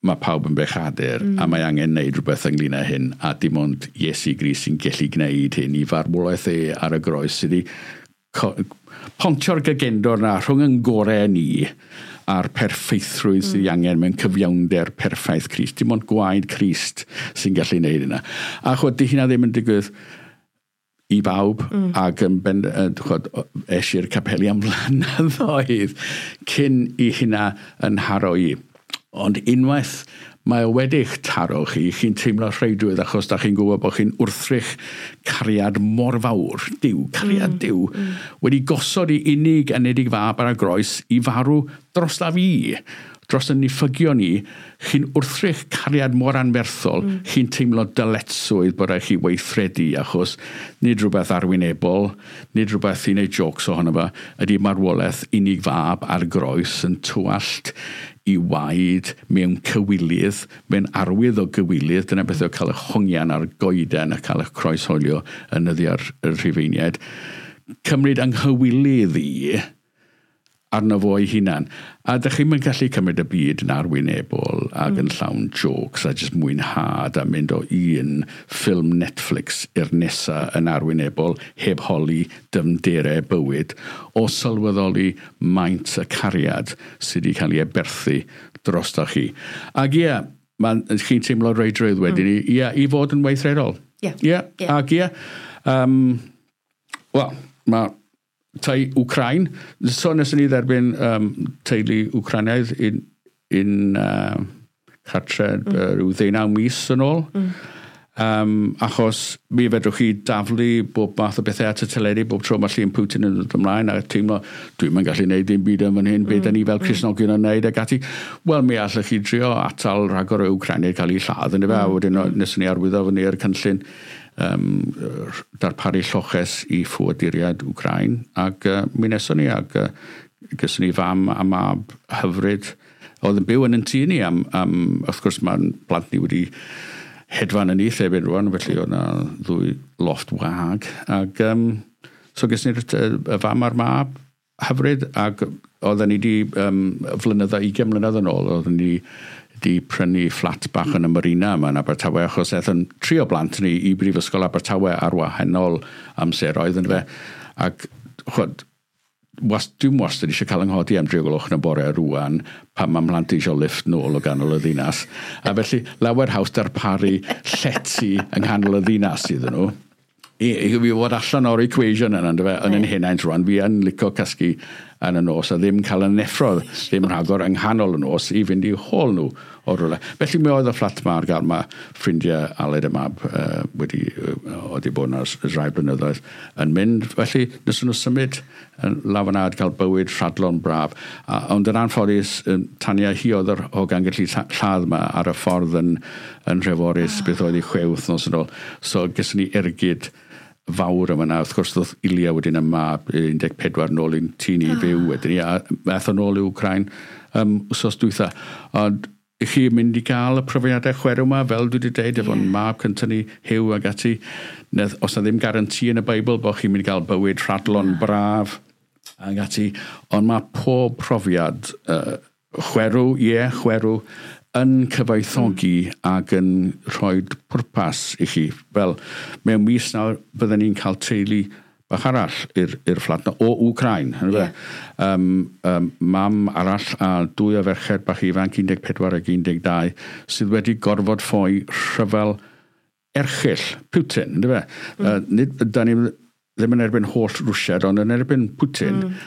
mae pawb yn bechadur mm. a mae angen neud rhywbeth ynglyn â hyn, a dim ond Iesu Grist sy'n gallu gwneud hyn i farwolaeth e ar y groes sydd wedi pontio'r gagendor na rhwng yn gorau ni a'r perffeithrwydd mm. sydd angen mewn cyfiawnder perffaith Crist. Dim ond gwaed Crist sy'n gallu gwneud hynna. A chwed, di hynna ddim yn digwydd i bawb, mm. ac yn ben, chwed, es i'r capeli am flynyddoedd cyn i hynna yn haro i. Ond unwaith mae o wedi'ch taro chi, chi'n teimlo rheidrwydd achos da chi'n gwybod bod chi'n wrthrych cariad mor fawr, Duw, cariad mm. Duw, mm. wedi gosod i unig anedig fab ar y groes i farw dros la fi, dros y niffygion ni, chi'n wrthrych cariad mor anferthol, mm. chi'n teimlo dyletswydd bod rhaid chi weithredu, achos nid rhywbeth arwynebol, nid rhywbeth i wneud jokes ohono fo, ydy marwolaeth unig fab ar groes yn tywallt i waed mewn cywilydd, mewn arwydd o gywilydd, dyna beth oedd cael eich hongian ar goeden a cael eich croeshoelio yn nyddiau'r Rhufeiniaid. Cymryd anghywilydd i arno fo ei hunan. A dych chi'm yn gallu cymryd y byd yn arwynebol ac mm. yn llawn jokes a jyst mwynhad a mynd o un ffilm Netflix i'r nesa yn arwynebol heb holi dyfnderau bywyd o sylweddoli maint y cariad sydd wedi cael ei aberthu drostoch chi. Ac ie, chi'n teimlo reidrwydd wedyn mm. i, ie, i fod yn weithredol. Ie. Ie, ac ie. Um, Wel, mae tai Wcrain. So nes ni dderbyn um, teulu Wcraniaidd in, in uh, cartre mm. uh, rhyw ddeunaw mis yn ôl. Mm. Um, achos mi fedrwch chi daflu bob math o bethau at y teledu bob tro mae llun Putin yn dod ymlaen a teimlo dwi'm yn gallu neud dim byd yn fan hyn, mm. beth da ni fel Cristnogion yn neud ac ati. Wel, mi allwch chi drio atal rhagor o Wcraniaid cael eu lladd yn y fe, mm. wedyn nes ni arwyddo fyny i'r cynllun um, darparu lloches i ffoaduriaid Wcrain, ac uh, mi neson ni, ac uh, gyson ni fam a mab hyfryd oedd yn byw yn yn tŷ ni am, am wrth gwrs mae'n plant ni wedi hedfan yn nyth erbyn rwan, felly oedd yna ddwy lofft wag, ac um, so gyson ni'r y fam a'r mab hyfryd, ac oedden ni di um, flynyddoedd, ugain mlynedd yn ôl, oedden ni di prynu fflat bach yn y Marina yma yn Abertawe, achos aeth yn tri o blant ni i Brifysgol Abertawe ar wahanol amseroedd yn fe. Ac chwod, was, dwi'n wastad eisiau cael 'nghodi am dri o gloch yn y bore rwan pan mae mhlant eisiau lift nôl o ganol y ddinas. A felly lawer haws darparu llety yng nghanol y ddinas iddyn nhw. I, i fi fod allan o'r equation yna, yndyfe, yn yn henaint rwan, fi yn licio cysgu yn y nos a ddim cael y neffro, ddim rhagor yng nghanol y nos i fynd i hôl nhw o rywle. Felly mi oedd y fflat ma ar gael, mae ffrindiau Aled y mab uh, wedi, uh, wedi bod yna ers rai blynyddoedd yn mynd. Felly nes nhw symud yn lawr yna a cael bywyd rhadlon braf. A, ond yn anffodus, um, Tania hi oedd yr hogan gallu lladd yma ar y ffordd yn, yn Nhreforys, oh. beth oedd i chwe wythnos yn ôl. So gyson ni ergyd fawr yma na. Wrth gwrs, ddoth Ilia wedyn y mab un deg pedwar nôl i'n tŷ ni oh. fyw wedyn ni, a aeth o nôl i Wcrain um, wsos dwytha. Ond i chi mynd i gael y profiadau chwerw yma, fel dwi wedi dweud, yeah. efo'n mab cyntaf ni, Huw ac ati. Nedd, os na ddim garanti yn y Beibl bod chi'n mynd i gael bywyd rhadlon braf ac ati. Ond mae pob profiad uh, chwerw, ie, yeah, chwerw, yn cyfoethogi mm. ac yn rhoi pwrpas i chi. Fel mewn mis nawr, bydden ni'n cael teulu bach arall i'r i'r fflat na, o Wcrain. Yeah. Um, um, mam arall a dwy o ferched bach ifanc, un deg pedwar ac un deg dau, sydd wedi gorfod ffoi rhyfel erchyll Putin. Yndyfe? Mm. Uh, nid, da ni ddim yn erbyn holl Rwsiad, ond yn erbyn Putin. Mm.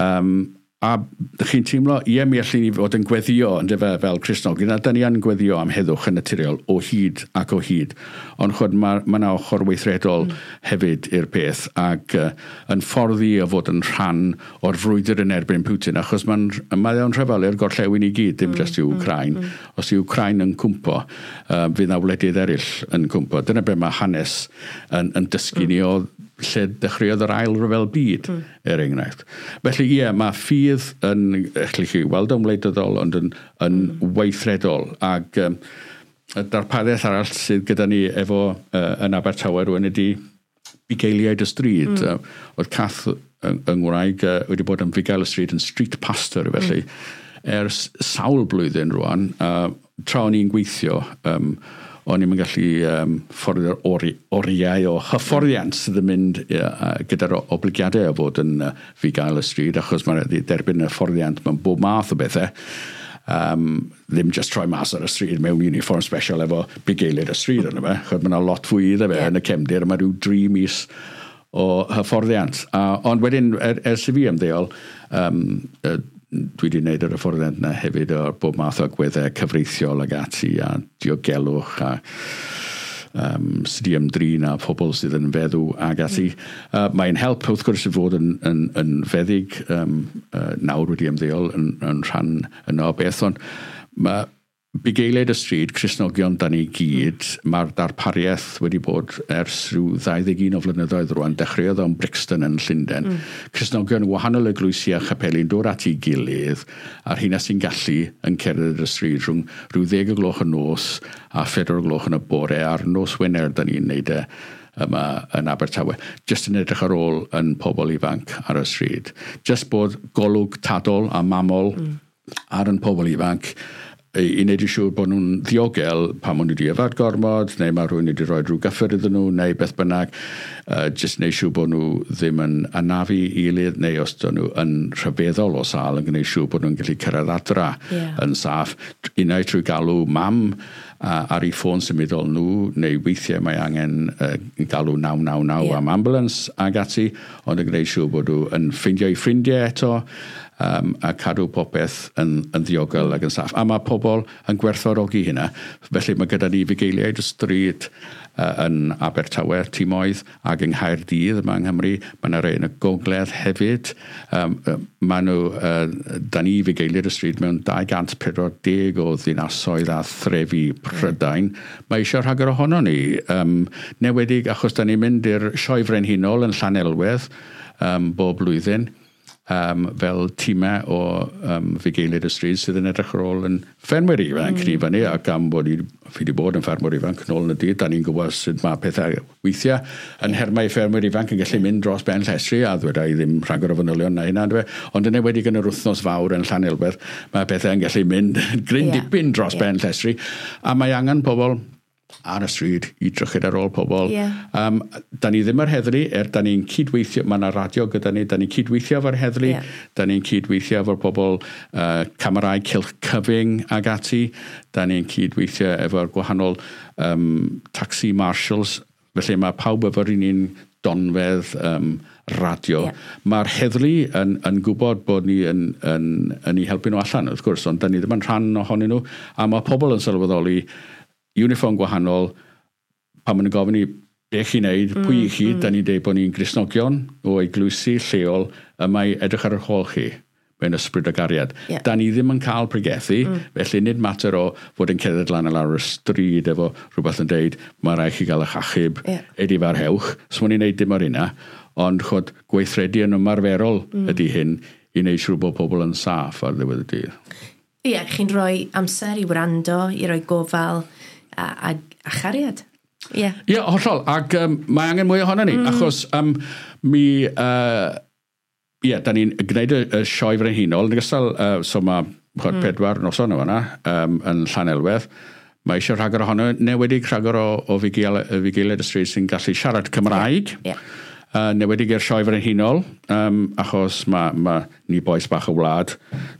Um, a chi'n teimlo, ie, mi allwn ni fod yn gweddio, yndyfe, fel Cristnogion, a da ni yn gweddio am heddwch yn naturiol o hyd ac o hyd. Ond chwed, mae ma yna ochr weithredol mm. hefyd i'r peth, ac uh, yn ffordd i o fod yn rhan o'r frwydr yn erbyn Putin, achos mae'n mae o'n rhyfel i'r gorllewin i gyd, dim mm. jyst i Wcrain. Mm. Os yw Wcrain yn cwmpo, uh, fydd na wledydd eraill yn cwmpo. Dyna be mae hanes yn, yn dysgu mm. ni o lle dechreuodd yr ail ryfel byd, mm. er enghraifft. Felly, ie, mae ffydd yn, allwch chi weld o'n wleidyddol, ond yn, yn mm. weithredol. Ac um, y darpariaeth arall sydd gyda ni efo uh, yn Abertawe rwan ydy bugeiliaid y stryd. Mm. Uh, oedd Cath yng, yng Ngwraig uh, wedi bod yn fugail y stryd, yn street pastor felly, mm. ers sawl blwyddyn rwan. Uh, tra o'n i'n gweithio, um, o'n i'n gallu um, fforddio'r ori, oriau o hyfforddiant sydd yn mynd uh, gyda'r obligiadau o fod yn uh, fugail y stryd, achos mae'n derbyn hyfforddiant mewn bob math o bethau. Um, ddim just troi mas ar y stryd mewn uniform special efo bugeiliaid y stryd yna fe, chod mae yna lot fwy iddo fe yeah. yn y cefndir, mae rhyw dri mis o hyfforddiant. Uh, ond wedyn, er, ers i fi ymddeol, um, uh, dwi wedi gwneud yr hyfforddiant yna hefyd o'r bob math o agweddau cyfreithiol ag ati a diogelwch a um, sydd wedi ymdrin â pobl sydd yn feddw ag ati. Mm. Uh, mae'n help wrth gwrs i fod yn, yn, yn feddyg um, uh, nawr wedi ymddeol yn, yn rhan yno o beth, ond mae bugeiliaid y stryd, Cristnogion da ni gyd, mm. mae'r darpariaeth wedi bod ers rhyw ddau ddeg un o flynyddoedd rwan, dechreuodd o'n Brixton yn Llundain. Mm. Cristnogion wahanol eglwysi a chapeli'n dod at ei gilydd, a'r hynna sy'n gallu yn cerdded y stryd rhwng rhyw ddeg o gloch y nos a phedwar o gloch yn y bore, a'r nos Wener da ni'n neud e yma yn Abertawe. Just yn edrych ar ôl yn pobl ifanc ar y stryd. Just bod golwg tadol a mamol mm. ar yn pobl ifanc, i wneud yn siŵr bod nhw'n ddiogel pan maen nhw wedi yfed gormod, neu mae rhywun wedi rhoi rhyw gyffur iddyn nhw, neu beth bynnag, uh, jyst wneud siŵr bod nhw ddim yn anafu i gilydd, neu os dyn nhw yn rhyfeddol o sâl, yn gwneud siŵr bod nhw'n gallu cyrraedd adra yeah. yn saff. Unai trwy galw mam uh, ar ei ffôn symudol nhw, neu weithiau mae angen uh, galw naw naw naw yeah. am ambulance ag ati, ond yn gwneud siŵr bod nhw yn ffeindio eu ffrindiau eto, um, a cadw popeth yn, yn ddiogel ac yn saff. A mae pobl yn gwerthfawrogi hynna. Felly mae gyda ni fugeiliaid y stryd uh, yn Abertawe, timoedd, ac yng Nghaerdydd yma yng Nghymru. Mae yna rhai yn y gogledd hefyd. Um, mae nhw, uh, da ni fugeiliaid y stryd mewn dau gant pedwar deg o ddinasoedd a threfi Prydain. Mae eisiau rhagor ohono ni. Um, newedig achos da ni'n mynd i'r Sioe Frenhinol yn Llanelwedd um, bob blwyddyn. Um, fel tîmau o um, fugeiliaid y stryd sydd yn edrych ar ôl yn ffermwyr ifanc mm. ni fyny, ac am bod i, fi wedi bod yn ffermwyr ifanc nôl yn y dydd, da ni'n gwybod sut mae pethau weithiau yn hermau ffermwyr ifanc yn gallu mynd dros ben llestri, a ddweda i ddim rhagor o fanylion na hynna, dwi. Ond yn enwedig yn yr wythnos fawr yn Llanelwedd, mae pethau yn gallu mynd gryn yeah. dipyn dros yeah. ben llestri, a mae angen pobl ar y stryd i drychyd ar ôl pobl. Yeah. Um, da ni ddim yr heddlu, er da ni'n cydweithio, mae yna radio gyda ni, da ni'n cydweithio efo'r heddlu, yeah. da ni'n cydweithio efo'r pobl uh, camerau cylch cyfyng ag ati, da ni'n cydweithio efo'r gwahanol um, taxi marshals, felly mae pawb efo'r un un donfedd um, radio. Yeah. Mae'r heddlu yn, yn gwybod bod ni yn, yn, yn ei helpu nhw allan, wrth gwrs, ond da ni ddim yn rhan ohonyn nhw, a mae pobl yn sylweddoli uniform gwahanol, pan maen nhw'n gofyn i be chi'n neud, mm, pwy i chi, mm. da ni'n deud bod ni'n Gristnogion o eglwysi lleol, y mae edrych ar yr hôl chi mewn ysbryd o gariad. Yeah. Da ni ddim yn cael pregethu, mm. felly nid mater o fod yn cerdded lan a lawr y stryd efo rhywbeth yn deud, mae rhaid chi gael eich achub, yeah. edifarhewch. So ma'n ni'n neud dim o'r hynna, ond chod, gweithredu yn ymarferol mm. ydy hyn i wneud siŵr bod pobl yn saff ar ddiwedd y dydd. Ie, yeah, chi'n rhoi amser i wrando, i roi gofal, a, a, a chariad. Ie. Yeah. Ie, yeah, hollol. Ac um, mae angen mwy ohono ni, mm. achos um, mi... Uh, ie, yeah, da ni'n gwneud y, y Sioe Frenhinol. Yn ogystal, uh, so mae chod, mm. pedwar noson o fan'na um, yn Llanelwedd. Mae eisiau rhagor ohono, newedig rhagor o, o fugeiliaid y stryd sy'n gallu siarad Cymraeg. Yeah. Yeah. Uh, newedig i'r Sioe Frenhinol, um, achos mae ma ni bois bach y wlad,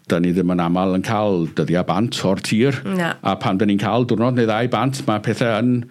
da ni ddim yn aml yn cael dyddiau bant o'r tir. No. A pan da ni'n cael diwrnod neu ddau bant, mae pethau yn...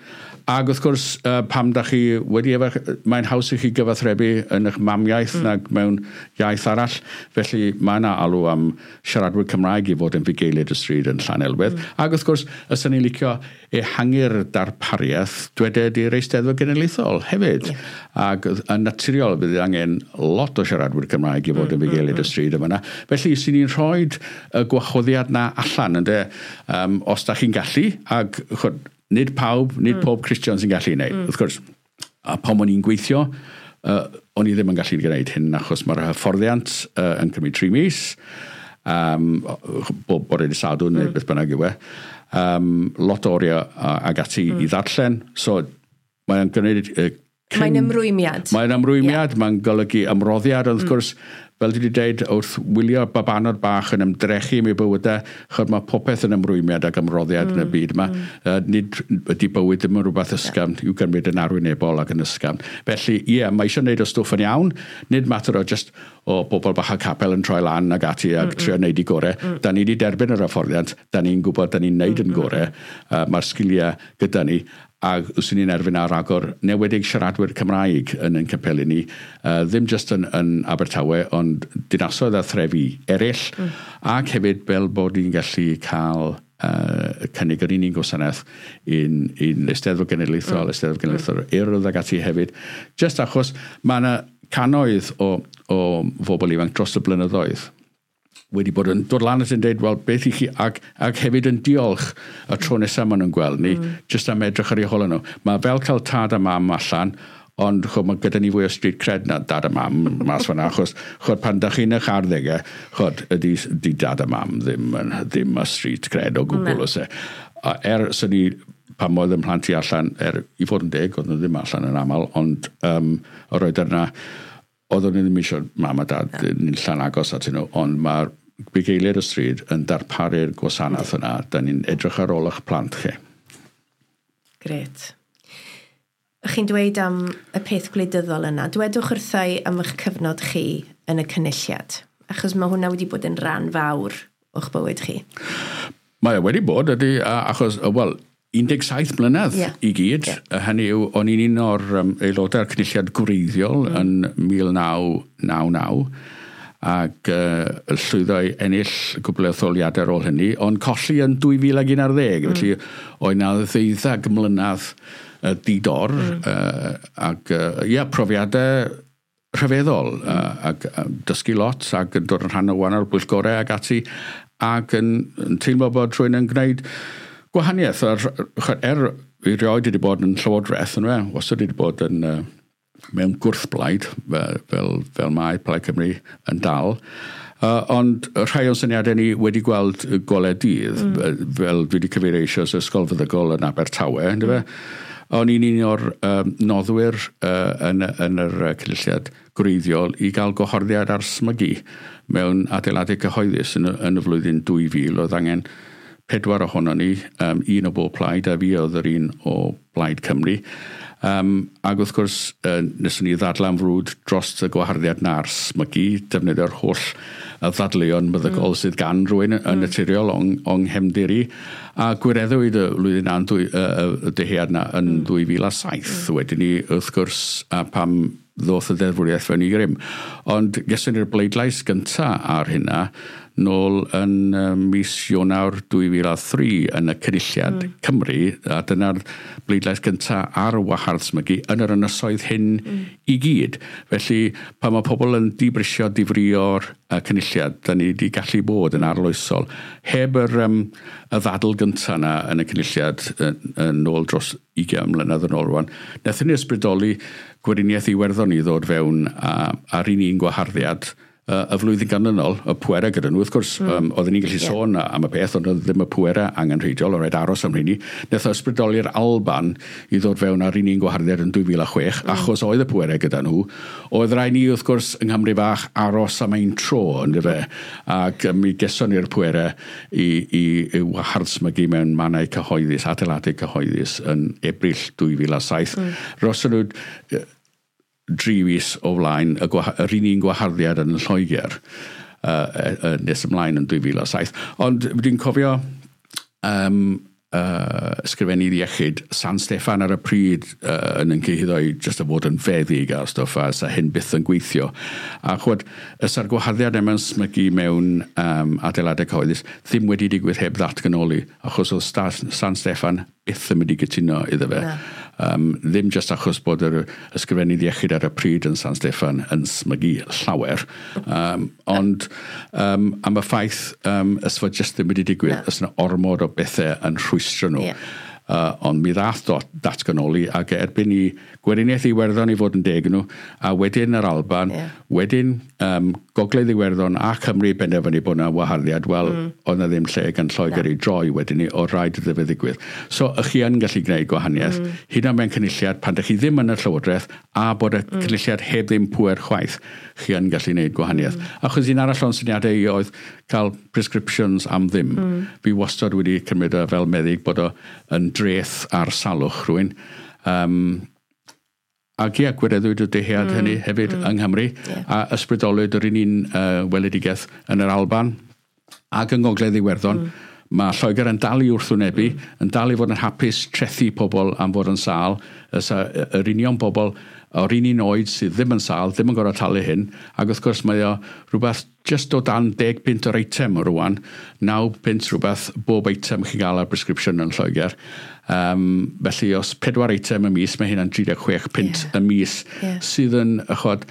Ac wrth gwrs, uh, pam da chi wedi efo, mae'n haws i chi gyfathrebu yn eich mamiaith mm. nag mewn iaith arall. Felly mae yna alw am siaradwyr Cymraeg i fod yn fugeiliaid y stryd yn Llanelwedd. Mm. Ac wrth gwrs, ys ni'n licio ehangu'r darpariaeth, dweded i'r Eisteddfod Genedlaethol hefyd. Yeah. Ac yn naturiol bydd angen lot o siaradwyr Cymraeg i fod mm, yn fugeiliaid mm, y stryd yma. Felly, sy'n ni'n rhoi y gwahoddiad na allan, ynde, um, os da chi'n gallu, ac chod, nid pawb, nid mm. pob Christian sy'n gallu wneud. Mm. Wrth gwrs, a pan o'n i'n gweithio, uh, o'n i ddim yn gallu gwneud hyn achos mae'r hyfforddiant uh, yn cymryd tri mis, um, bob bore dydd Sadwrn mm. neu beth bynnag yw e. um, lot o oriau ag ati mm. i ddarllen. So mae'n gwneud... Uh, cyn... Mae'n ymrwymiad. Mae'n ymrwymiad, yeah. Mae'n golygu ymroddiad, wrth mm. gwrs, fel dwi wedi dweud, wrth wylio babanod bach yn ymdrechu am eu bywydau, chod mae popeth yn ymrwymiad ac ymroddiad mm. yn y byd yma. Mm. Uh, nid ydy bywyd ddim yn rhywbeth ysgafn, yeah. i'w gymryd yn arwynebol ac yn ysgafn. Felly, ie, yeah, mae eisiau gwneud y stwff yn iawn, nid mater o just o bobl bach a capel yn troi lan ag ati ac mm, trio wneud i gorau. Mm. Da ni wedi derbyn yr hyfforddiant, da ni'n gwybod da ni'n wneud mm, yn gorau, uh, mae'r sgiliau gyda ni, ac wswn ni'n erfyn ar agor newedig siaradwyr Cymraeg yn ein capeli ni, uh, ddim just yn, yn Abertawe, ond dinasoedd a threfi eraill, mm. ac hefyd fel bod ni'n gallu cael uh, cynnig yr un un gwasanaeth i'n, i'n Eisteddfod Genedlaethol, mm. Eisteddfod Genedlaethol mm. Urdd ag ati hefyd, just achos mae yna cannoedd o, o bobl ifanc dros y blynyddoedd wedi bod yn dod lan at yn dweud, wel, beth i chi, ac, ac hefyd yn diolch y tro nesaf maen nhw'n gweld ni, mm. jyst am edrych ar eu hôl nhw. Mae fel cael tad a mam allan, ond chod, mae gyda ni fwy o street cred na dad a mam mas fan'na, achos chod, pan da chi'n eich arddegau, chod, ydy, ydy dad a mam ddim, yn, ddim y street cred o gwbl, oes e. A er, sy'n ni, pan oedd ym mhlant i allan, er i fod yn deg, oedd nhw ddim allan yn aml, ond um, o'r oed yna, oedden ni ddim eisiau mam a dad ni'n llan agos atyn nhw, ond mae'r bugeiliaid y stryd yn darparu'r gwasanaeth yna, da ni'n edrych ar ôl eich plant chi. Gret. Chi'n dweud am y peth gwleidyddol yna. Dwedwch wrthai am eich cyfnod chi yn y cynulliad, achos mae hwnna wedi bod yn rhan fawr o'ch bywyd chi. Mae e wedi bod, ydy, achos, wel, un deg saith mlynedd yeah. i gyd. Yeah. Hynny yw, o'n i'n un o'r um, aelodau'r cynulliad gwreiddiol mm. yn mil naw naw naw, ac uh, llwyddo i ennill cwpl o etholiadau ar ôl hynny, ond colli yn dwy fil ag un ar ddeg. Mm. Felly oedd 'na ddeuddeg mlynedd uh, di-dor, mm. uh, ac uh, ia, profiadau rhyfeddol, mm. uh, ac uh, dysgu lot, ac yn dod yn rhan o wahanol bwyllgorau ac ati, ac yn, yn teimlo bod rhywun yn gwneud gwahaniaeth. Er, er i rioed wedi bod yn llywodraeth, yn fe, wastad wedi bod yn... Uh, mewn gwrthblaid, fel, fel, fel mae Plaid Cymru yn dal. Uh, ond rhai o'n syniadau ni wedi gweld golau dydd, mm. fel dwi wedi cyfeirio eisoes Ysgol Feddygol yn Abertawe, mm. fe? O'n i'n un o'r um, noddwyr uh, yn, yn yr cynulliad gwreiddiol i gael gwahoddiad ar smygu mewn adeiladau cyhoeddus yn, yn y flwyddyn dwy fil. Oedd angen pedwar ohono ni, um, un o bob plaid, a fi oedd yr un o Blaid Cymru. Um, ac wrth gwrs, uh, neswn ni ddadlau am frwd dros y gwaharddiad na'r smygu, defnyddio'r holl y ddadleuon meddygol mm. sydd gan rhywun yn mm. naturiol o'n, o'n nghefndir i. A gwireddwyd y flwyddyn na'n dwy, y, y dyhead na yn mm. dwy fil a saith. Mm. Wedyn ni, wrth gwrs, a pam ddoth y ddeddfwriaeth fewn i grym. Ond geson ni'r bleidlais gynta ar hynna nôl yn uh, mis Ionawr dwy fil a thri yn y Cynulliad mm. Cymru, a dyna'r bleidlais gynta ar wahardd smygu yn yr ynysoedd hyn mm. i gyd. Felly, pan mae pobl yn dibrisio, difrio'r uh, Cynulliad, da ni wedi gallu bod yn arloesol. Heb yr, um, y ddadl gynta yna yn y Cynulliad yn ôl dros ugain mlynedd yn ôl rwan, wnaethon ni ysbrydoli Gweriniaeth Iwerddon i ddod fewn a, ar un un gwaharddiad y flwyddyn ganlynol, y pwerau gyda nhw, wrth gwrs, mm. um, oedden ni'n gallu yeah. sôn am y peth, ond oedd ddim y pwerau angenrheidiol, oedd rhaid aros am rheini. Wnaeth o ysbrydoli'r Alban i ddod fewn ar un un gwaharddiad yn dwy fil a chwech, mm. achos oedd y pwerau gyda nhw. Oedd rhaid ni, wrth gwrs, yng Nghymru fach aros am ein tro, yndyfe, ac mi geson ni'r pwerau i, i, i wahardd smygu mewn mannau cyhoeddus, adeiladau cyhoeddus yn Ebrill dwy fil a saith. Mm. Roson nhw dri fis o flaen y yr un un gwaharddiad yn Lloegr uh, uh, nes ymlaen yn dwy fil a saith. Ond dwi'n cofio um, uh, ysgrifennu iechyd San Steffan ar y pryd uh, yn yn cyhuddo i jyst o fod yn feddyg a stwff a sa hyn byth yn gweithio. A chwod, ysa'r gwaharddiad yma'n smygu mewn um, adeiladau cyhoeddus ddim wedi digwydd heb ddatganoli, achos oedd San Steffan byth yn mynd i gytuno iddo fe. Na. Um, ddim jyst achos bod yr ysgrifennydd iechyd ar y pryd yn San Steffan yn smygu llawer, um, ond um, am y ffaith um, ysfod jyst ddim wedi digwydd, no. Ys yna ormod o bethau yn rhwystro nhw. Yeah. Uh, ond mi ddath dot, datganoli ac erbyn i Gweriniaeth Iwerddon i fod yn deg nhw, a wedyn yr Alban, yeah. wedyn um, Gogledd Iwerddon a Cymru benderfynu bod yna waharddiad, wel, mm. oedd yna ddim lle gan Lloegr i droi wedyn ni, o rhaid iddo fe ddigwydd. So, ych chi yn gallu gwneud gwahaniaeth, mm. hyd yn oed mewn cynulliad, pan ydych chi ddim yn y llywodraeth, a bod y mm. cynulliad heb ddim pŵer chwaith, chi yn gallu gwneud gwahaniaeth. Mm. Achos un arall o'n syniadau i oedd cael prescriptions am ddim. Mm. Fi wastad wedi cymryd o fel meddyg bod o yn dreth ar salwch rhywun. Um, Ac ie, gwireddwyd y dyhead mm, hynny hefyd mm, yng Nghymru, yeah. a ysbrydolwyd yr un un uh, weledigaeth yn yr Alban ac yng Ngogledd Iwerddon. Mm. Mae Lloegr yn dal i wrthwynebu, mm. yn dal i fod yn hapus trethu pobl am fod yn sâl, yr union bobl o'r un un oed sydd ddim yn sâl, ddim yn gorfod talu hyn, ac wrth gwrs mae o rhywbeth just o dan deg punt o'r eitem rwan, naw punt rhywbeth bob eitem chi'n gael ar prescription yn Lloegr. Um, felly os pedwar eitem y mis, mae hynna'n tri deg chwech punt yeah. y mis, yeah. sydd yn, chod,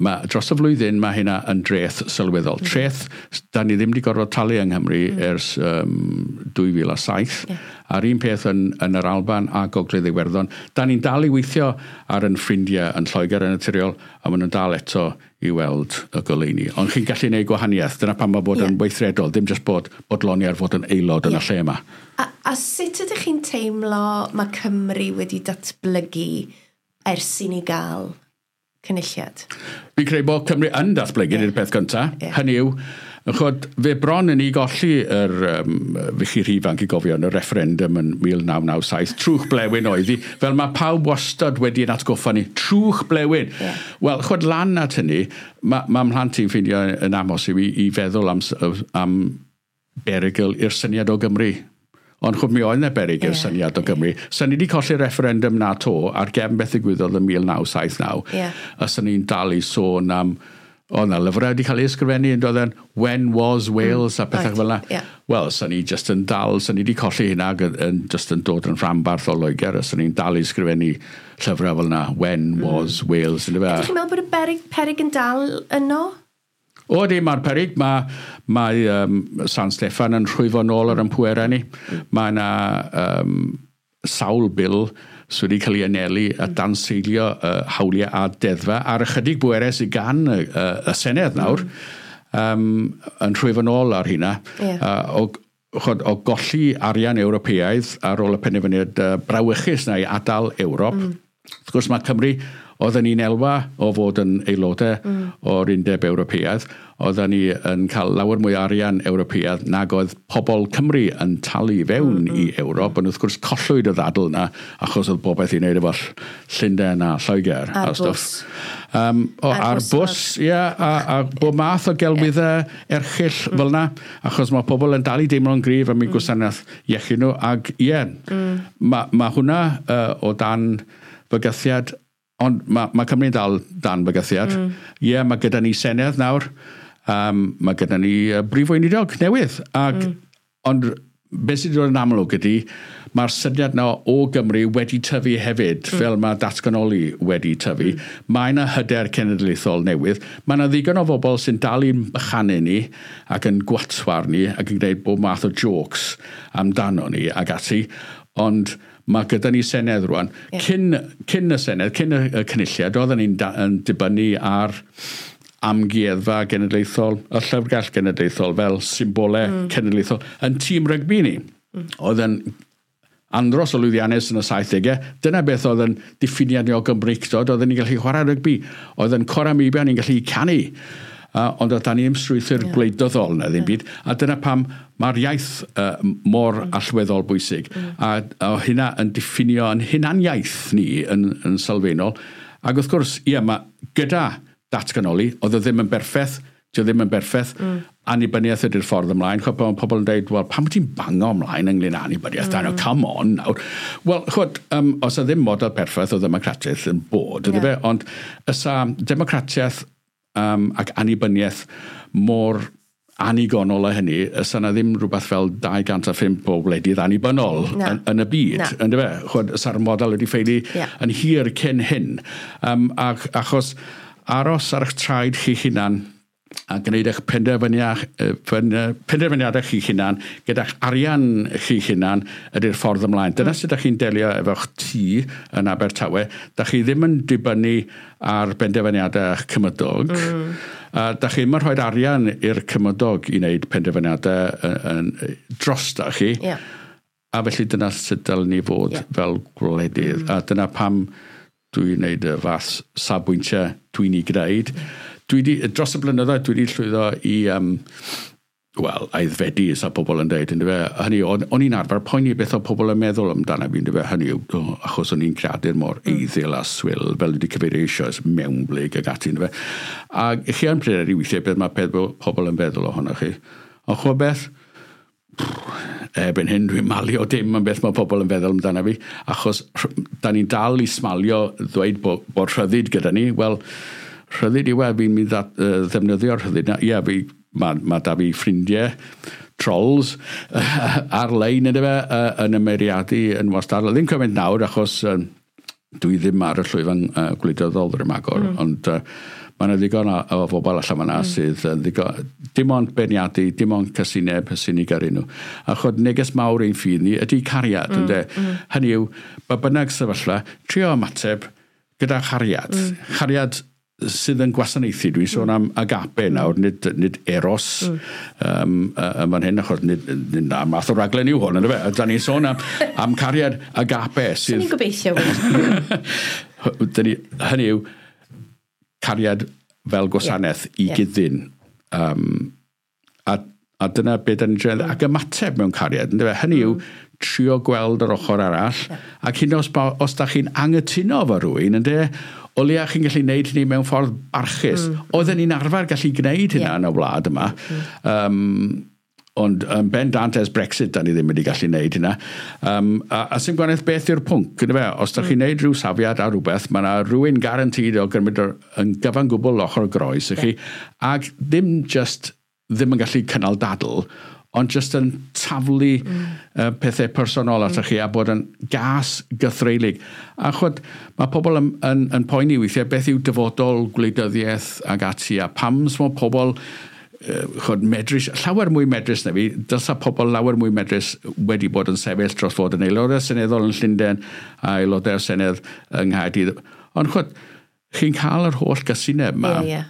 ma, dros y flwyddyn mae hynna yn dreth sylweddol. Mm. Treth, da ni ddim wedi gorfod talu yng Nghymru mm. ers um, dwy fil a saith. Yeah. A'r un peth yn, yn yr Alban a Gogledd Iwerddon. Da ni'n dal i weithio ar yn ffrindiau yn Lloegr yn naturiol, a maen nhw'n dal eto i weld y goleuni. Ond chi'n gallu gwneud gwahaniaeth. Dyna pam mae bod yeah. yn weithredol, ddim jyst bod bodloni ar fod yn aelod yeah. yn y lle yma. A, a sut ydych chi'n teimlo mae Cymru wedi datblygu ers i ni gael cynulliad? Fi'n credu bod Cymru yn datblygu, yeah. Ydy'r peth gyntaf. Yeah. Hynny yw, chod, fe bron yn ei golli yr, um, fi chi rhy ifanc i gofio, yn y referendum yn mil naw naw saith, trwch blewyn oedd hi, fel mae pawb wastad wedi'n atgoffa ni, trwch blewyn. Yeah. Wel, chod, lan at hynny, mae ma mhlant i'n ffeindio yn amhosib i, i feddwl am, am berygl i'r syniad o Gymru. Ond chwb mi oedd yna beryg i'r yeah, syniad o Gymru. Yeah. Sa ni wedi colli'r referendum na to ar gefn beth ddigwyddodd yn mil naw saith naw. Yeah. A sa ni'n dal i sôn am, o na, lyfrau wedi cael ei ysgrifennu yn dod yn When Was Wales mm, a pethau right, fel yna. Yeah. Wel, sa ni just yn dal, sa ni wedi colli hynna yn, just yn dod yn rhanbarth o Loegr, a sa ni'n dal i ysgrifennu llyfrau fel yna, When mm. Was Wales. Ydych chi'n meddwl bod y beryg, peryg yn dal yno? O, di, mae'r peryg. Mae, mae um, San Steffan yn rhwyfo nôl ar ein pwerau ni. Mae yna um, sawl bil sydd wedi cael ei anelu a danseilio uh, hawliau a deddfau ar ychydig bwerau sydd gan y, y, y Senedd nawr, um, yn rhwyfo nôl ar hynna. Yeah. Uh, o, chod, o golli arian Ewropeaidd ar ôl y penderfyniad uh, brawychus na i adael Ewrop. Mm. Wrth gwrs mae Cymru, oedden ni'n elwa o fod yn aelodau mm. o'r Undeb Ewropeaidd, oedden ni yn cael lawer mwy arian Ewropeaidd nag oedd pobl Cymru yn talu fewn mm, mm. i Ewrop, ond wrth gwrs collwyd y ddadl yna achos oedd bobeth i wneud efo Llundain a Lloegr ar a stwff. Um, o, ar, ar bws, ie, yeah, a, a bob math o gelwyddau erchyll mm. fel yna, achos mae pobl yn dal i deimlo'n gryf am eu mm. gwasanaeth iechyd nhw, ac ie, yeah, mm. mae ma hwnna uh, o dan fygythiad. Ond mae, mae Cymru'n dal dan bygythiad. Ie, mm. yeah, mae gyda ni Senedd nawr. Um, mae gyda ni uh, brif weinidog newydd. Ag, mm. Ond beth sydd wedi dod yn amlwg ydy, mae'r syniad na o Gymru wedi tyfu hefyd, mm. fel mae datganoli wedi tyfu. Mm. Mae yna hyder cenedlaethol newydd. Mae yna ddigon o bobl sy'n dal i'n bychanu ni ac yn gwatwar ni ac yn gwneud bob math o jokes amdano ni ac ati. Ond mae gyda ni Senedd rwan. Yeah. Cyn, cyn y Senedd, cyn y, y cynulliad, oedden ni'n yn dibynnu ar amgueddfa genedlaethol, y llyfrgell genedlaethol fel symbolau mm. cenedlaethol, yn tîm rygbi ni. Mm. Oedd yn andros o lwyddiannus yn y saithdegau. Dyna beth oedd yn diffiniad ni o Gymreictod, oedden ni'n gallu chwarae rygbi, oedd yn cora meibion ni'n gallu canu. Uh, ond oedd dan ni ddim strwythur yeah. gwleidyddol na ddim byd. A dyna pam mae'r iaith uh, mor mm. allweddol bwysig. Mm. A, a hynna yn diffinio yn hunaniaeth ni yn, yn sylfaenol. Ac wrth gwrs, ie, mae gyda datganoli, oedd o ddim yn berffaith, dio ddim yn berffaith, mm. annibyniaeth ydy'r ffordd ymlaen. Chod, mae pobl yn dweud, wel, pam wyt ti'n bango ymlaen ynglyn â annibyniaeth? Mm. Come on nawr. Wel, chod, um, os o ddim model perffaith o ddemocratiaeth yn bod, ydy yeah. fe, ond ysa democratiaeth um, ac annibyniaeth mor annigonol â hynny, ysa na ddim rhywbeth fel dau gant a phump o wledydd annibynnol yn, yn y byd, yndyfe? Chod, ysa'r model wedi ffeili yeah. yn hir cyn hyn. Um, ac, achos aros ar eich traed chi hunan a gwneud eich penderfyniadau chi'ch hunan, gyda'ch arian chi'ch hunan ydy'r ffordd ymlaen. Dyna mm. sut ydych chi'n delio efo'ch tŷ yn Abertawe. Da chi ddim yn dibynnu ar benderfyniadau eich cymydog. Mm. A da chi ddim yn rhoi arian i'r cymydog i wneud penderfyniadau yn, yn, dros da chi. Yeah. A felly dyna sut dylen ni fod yeah. fel gwledydd. Mm. A dyna pam dwi'n gwneud y fath safbwyntiau dwi'n ei gwneud. Mm. Dwi di, dros y blynyddoedd, dwi wedi llwyddo i, um, wel, aeddfedu, sa pobl yn dweud, yndyfe. Hynny, o'n, o'n i'n arfer poeni beth o pobl yn meddwl amdano fi, yndyfe. Hynny, oh, achos o'n i'n creadur mor mm. eiddil a swil, fel wedi cyfeirio eisoes, mewnblyg ag ati, yndyfe. A chi yn pryderu weithiau beth mae pobl yn feddwl ohonoch chi. Ond ch'mod beth? Erbyn hyn dwi'n malio dim am beth mae pobl yn feddwl amdano fi, achos da ni'n dal i smalio ddweud bod, bod rhyddid gyda ni. Wel, rhyddid yw e, fi'n mynd i ddefnyddio'r rhyddid. Ie, fi, mae ma da fi ffrindiau, trolls, ar-lein ynddo fe, yn ymyriadu yn wastad. Ddim cymaint nawr, achos uh, dwi ddim ar y llwyfan uh, gwleidyddol ddim agor, mm. ond uh, mae yna ddigon o, o bobl allan fan'na mm. sydd yn ddigon, dim ond beirniadu, dim ond casineb sy'n ei gyrru nhw. A chod neges mawr ein ffydd ni ydy cariad, mm. ynde? Mm. Hynny yw, ba bynnag sefyllfa, trio ymateb gyda chariad. Mm. Chariad sydd yn gwasanaethu, dwi'n sôn am agape nawr, nid, nid eros mm. um, yn fan hyn, achos nid, nid na math o raglen yw hwn, yndyfe? Da ni'n sôn am, am cariad agape. Sydd... Ni'n gobeithio. Ni, hynny yw, cariad fel gwasanaeth yeah. i yeah. gyddyn. Um, a, a dyna beth da ni'n dweud, mm. ac ymateb mewn cariad, yndyfe? Hynny yw, mm. trio gweld yr ochr arall, yeah. ac hyn os, os da chi'n angytuno efo rhywun, ynde, o leia chi'n gallu gwneud hynny mewn ffordd barchus. Mm. Oedden ni'n arfer gallu gwneud hynna yeah. yn y wlad yma. Mm. Um, ond um, bendant ers Brexit, da ni ddim wedi gallu gwneud hynna. Um, a, a sy'n gwahaniaeth beth yw'r pwnc, yndyfe? Os da mm. chi'n gwneud rhyw safiad ar rhywbeth, mae yna rhywun guaranteed o gymryd yn gyfan gwbl ochr groes i chi, yeah. ac ddim just ddim yn gallu cynnal dadl, ond just yn taflu mm. uh, pethau personol atoch mm. chi a bod yn gas gythreulig. A chwod, mae pobl yn, yn, yn poeni weithiau beth yw dyfodol gwleidyddiaeth ag ati, a pam mae pobl uh, chwod, medrus, llawer mwy medrus na fi, dylsa pobl lawer mwy medrus wedi bod yn sefyll dros fod yn aelodau seneddol yn Llundain a aelodau senedd yng Nghaerdydd. Ond chwod, chi'n cael yr holl gasineb yma. Yeah, yeah.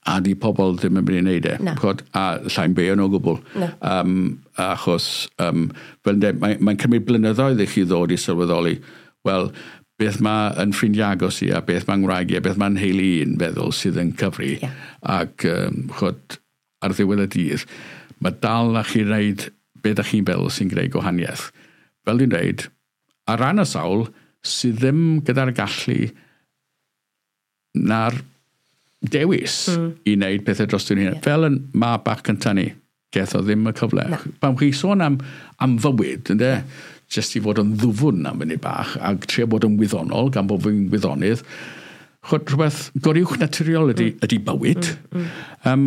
A di pobl ddim yn mynd i wneud e. Chod, a llai'n beio nhw o gwbl. No. Um, achos, um, fel dweud, mae'n mae cymryd blynyddoedd i chi ddod i sylweddoli, wel, beth mae yn ffrindiau agos i a beth mae'n ngwraig i a beth mae'n nheulu i'n feddwl sydd yn cyfri. Yeah. Ac, um, chod, ar ddiwedd y dydd, mae dal na chi wneud beth ydych chi'n feddwl sy'n gwneud gwahaniaeth. Fel dwi'n dweud, ar ran y sawl sydd ddim gyda'r gallu na'r dewis mm. i wneud pethau dros dyn hunain. Yeah. Fel yn mab bach cynta ni, geth o ddim y cyfle. No. Pan chi sôn am, am fywyd, ynde, jyst i fod yn ddwfwn am fyny bach, a trio bod yn wyddonol, gan bod fi'n wyddonydd, chod rhywbeth goruwch naturiol ydy, mm. ydy bywyd. Mm. Mm. Um,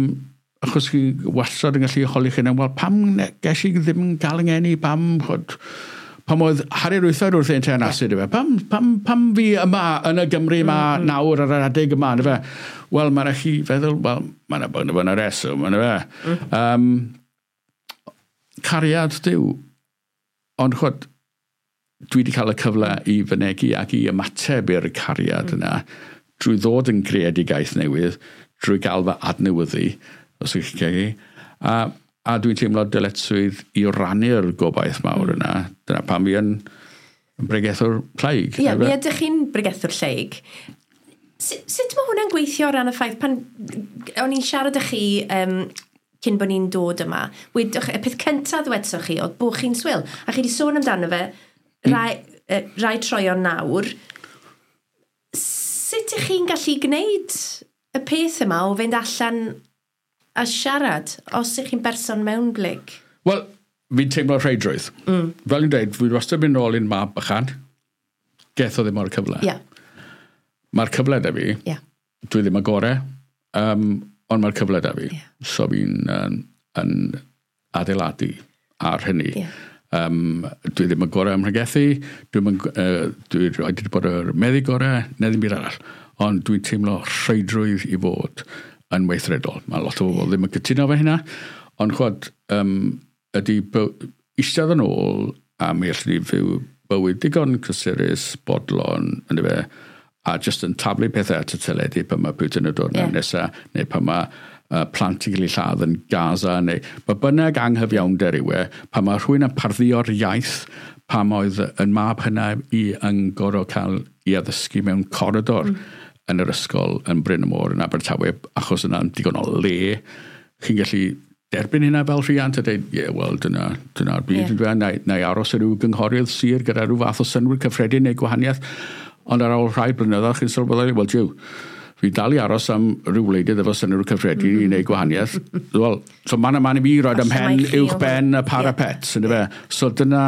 achos chi wastad yn gallu holi chi, wel, pam ges i ddim yn gael yng ngeni, pam, chod, pam oedd Harri'r Wythfed wrth ein teyrnasu, mm. pam, pam, pam fi yma yn y Gymru yma mm, mm. nawr ar yr adeg yma, yndyfe? Wel, mae'n rhaid chi feddwl, wel, mae'n bod yn y reswm, yndyfe? Mm. Um, cariad Duw. Ond chwod, dwi wedi cael y cyfle i fynegi ac i ymateb i'r cariad mm. yna drwy ddod yn greadigaeth newydd, drwy gael fy adnewyddu, os ydych chi'n cael. A, a dwi'n teimlo dyletswydd i rannu'r gobaith mawr Mm. yna. Dyna pam fi yn, yn bregethwr lleig. Ie, mi ydych chi'n bregethwr lleig. Sut mae hwnna'n gweithio o ran y ffaith pan o'n i'n siarad â chi um, cyn bod ni'n dod yma, wedwch, y peth cyntaf ddwedsoch chi oedd bod chi'n swil, a chi wedi sôn amdano fe rai, mm. rai troion nawr. Sut ych chi'n gallu gwneud y peth yma o fynd allan a siarad os ych chi'n berson mewnblyg? Wel, fi'n teimlo rheidrwydd. Mm. Fel i'n dweud, fi wastad mynd nôl i'n mab bychan, geth o ddim o'r cyfle. Yeah. Mae'r cyfle da fi, yeah. dwi ddim y gorau, um, ond mae'r cyfle da fi. Yeah. So fi'n yn, yn adeiladu ar hynny. Yeah. Um, dwi ddim y gorau ym mhregethu, dwi'n uh, dwi wedi bod yr meddyg gorau, neu ddim byd arall. Ond dwi'n teimlo rheidrwydd i fod yn weithredol. Mae lot o bobl ddim yn cytuno efo hynna, ond chwad, um, ydy eistedd yn ôl a mi allwn ni fyw bywyd digon cysurus, bodlon, yn fe, a just yn taflu pethau at y teledu pan mae Putin yn dod yeah. nesaf, neu pan mae uh, plant yn cael eu lladd yn Gaza, neu ba bynnag anghyfiawnder yw e, pan mae rhywun yn parddio'r iaith, pam oedd yn mab hynna i yn gorfod cael ei addysgu mewn coridor mm. yn yr ysgol yn Bryn y Môr yn Abertawe, achos yna'n digon o le. Chi'n gallu derbyn hynna fel rhiant a dweud, ie, yeah, wel, dyna, dyna'r byd. Yeah. Na, na i aros ar ryw gynghorydd sir gyda rhyw fath o synnwyr cyffredin neu gwahaniaeth. Ond ar ôl rhai blynyddoedd, chi'n sylweddoli, wel, jiw, fi dal i aros am rhyw wleidydd efo synnwyr cyffredin mm -hmm. i wneud gwahaniaeth. Wel, so man a man i fi roed ym mhen uwch ben y parapet. Yeah. So dyna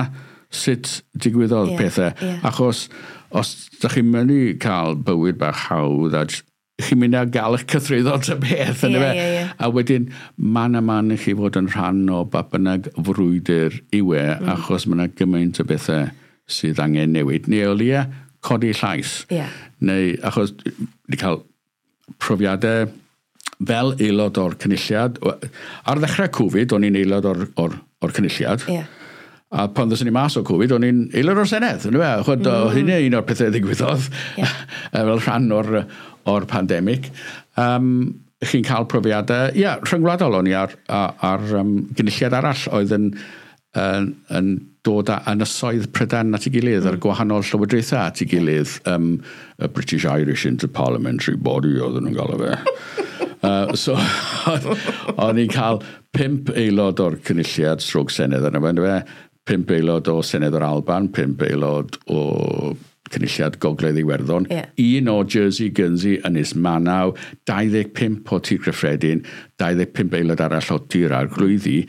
sut digwyddodd yeah, pethau. Yeah. Achos os ydych chi'n mynd i cael bywyd bach hawdd a chi'n mynd i gael eich cythruddo ta beth. Yeah, yeah, yeah. A wedyn, man a man i chi fod yn rhan o ba bynnag frwydr yw e, mm. achos mae yna gymaint o bethau sydd angen newid. Neu o leia, codi llais. Yeah. Neu, achos wedi cael profiadau fel aelod o'r cynulliad. Ar ddechrau Covid, o'n i'n aelod o'r, or, or cynulliad. Yeah. A pan ddoson ni mas o Covid, o'n i'n aelod o'r Senedd. Yn mm. mm. Hynny un o'r pethau ddigwyddodd yeah. fel rhan o'r, or pandemig. Um, chi'n cael profiadau, ia, yeah, rhyngwladol o'n i ar, ar, ar um, gynulliad arall oedd yn, yn, yn dod â ynysoedd Prydain at ei gilydd, mm. ar gwahanol llywodraethau at ei gilydd, um, y British Irish Interparliamentary Body oedden nhw'n galw fe. uh, so, o'n i'n cael pump aelod o'r cynulliad stroke Senedd yna fe, pump aelod o Senedd o'r Alban, pump aelod o Cynulliad Gogledd Iwerddon, yeah. un o Jersey, Guernsey, Ynys Manaw, dau ddeg pump o Tir Cyffredin, dau ddeg pump aelod arall o Tir Arglwyddi,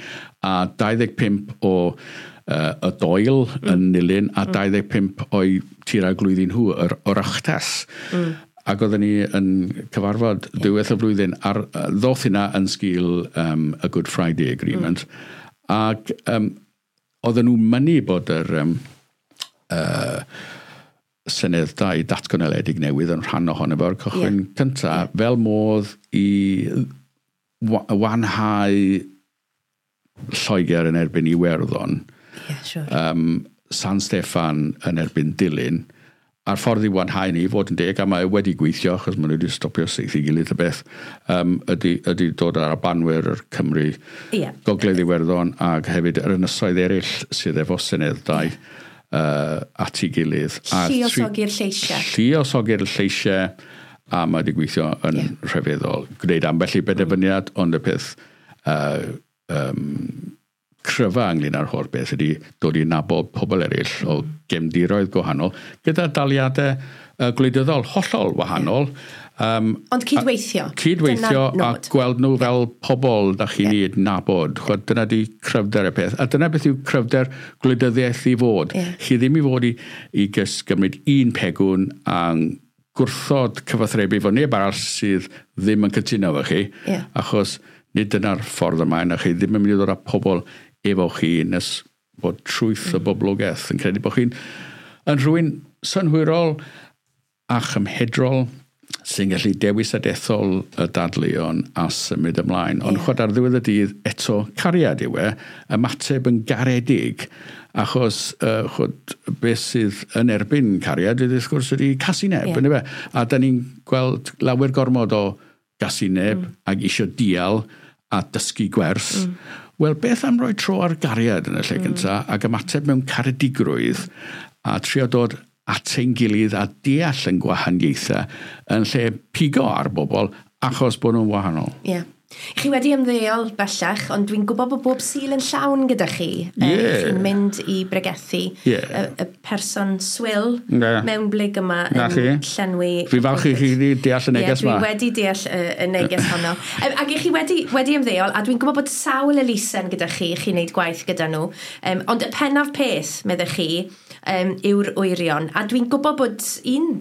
a dau ddeg pump o uh, y Doel mm. yn Nulyn, a mm. dau ddeg pump o'i Tir Arglwyddi nhw, yr Oireachtas. Mm. Ac oedden ni yn cyfarfod yeah. diwedd y flwyddyn, ar ddoth hynna yn sgil um, y Good Friday Agreement, mm. ac um, oedden nhw'n mynnu bod yr um, uh, Senedd dau datganoledig newydd yn rhan ohono fo'r cychwyn yeah. cyntaf, yeah. fel modd i wanhau Lloegr yn erbyn Iwerddon, yeah, sure. um, San Steffan yn erbyn Dulyn, a'r ffordd i wanhau ni, fod yn deg, a mae wedi gweithio, achos maen nhw wedi stopio saethu gilydd y beth, um, ydy, ydy dod ar Albanwyr, yr Cymru, yeah. Gogledd Iwerddon, ac hefyd yr ynysoedd eraill sydd efo Senedd dau yeah. uh, at ei gilydd. Lluosogi'r lleisiau. Lluosogi'r lleisiau, a mae wedi gweithio yn yeah. rhyfeddol. Gwneud ambell i benderfyniad, ond y peth uh, um, cryfa ynglyn â'r holl beth ydy dod i nabod pobl eraill o gefndiroedd gwahanol, gyda daliadau uh, gwleidyddol hollol wahanol. Um, Ond cydweithio. A, cydweithio a gweld nhw fel pobl da chi'n yeah. yeah. nabod. Chwad, dyna di cryfder y peth. A dyna beth yw cryfder gwleidyddiaeth i fod. Yeah. Chi ddim i fod i, i gys gymryd un pegwn a gwrthod cyfathrebu fo neb arall sydd ddim yn cytuno efo chi. Yeah. Achos nid dyna'r ffordd ymlaen, a chi ddim yn mynd i ddod â pobl efo chi nes bod trwyth y boblogaeth yn credu bod chi'n yn rhywun synhwyrol a chymhedrol sy'n gallu dewis a dethol y dadleuon a symud ymlaen. Ond yeah. chwad ar ddiwedd y dydd eto cariad yw e, ymateb yn garedig, achos uh, chwad, beth sydd yn erbyn cariad ydy wrth gwrs ydy casineb, yeah. yndyfe? A da ni'n gweld lawer gormod o gasineb mm. ac isio dial a dysgu gwers. Mm. Wel, beth am roi tro ar gariad yn y lle mm. gyntaf ac ymateb mewn caredigrwydd a trio dod at ein gilydd a deall yn gwahaniaethau yn lle pigo ar bobl achos bod nhw'n wahanol. Ie. Yeah. Chi wedi ymddeol bellach, ond dwi'n gwybod bod bob Sul yn llawn gyda chi. Yeah. Chi'n mynd i bregethu yeah. y, y person swil yeah. mewn blyg yma Na yn chi. llenwi... Fi falch i chi wedi deall y neges yeah, yma. Dwi wedi deall y, y neges honno. Ac i chi wedi, wedi ymddeol, a dwi'n gwybod bod sawl elusen gyda chi, chi'n neud gwaith gyda nhw, um, ond y pennaf peth, meddech chi, um, yw'r wyrion. A dwi'n gwybod bod un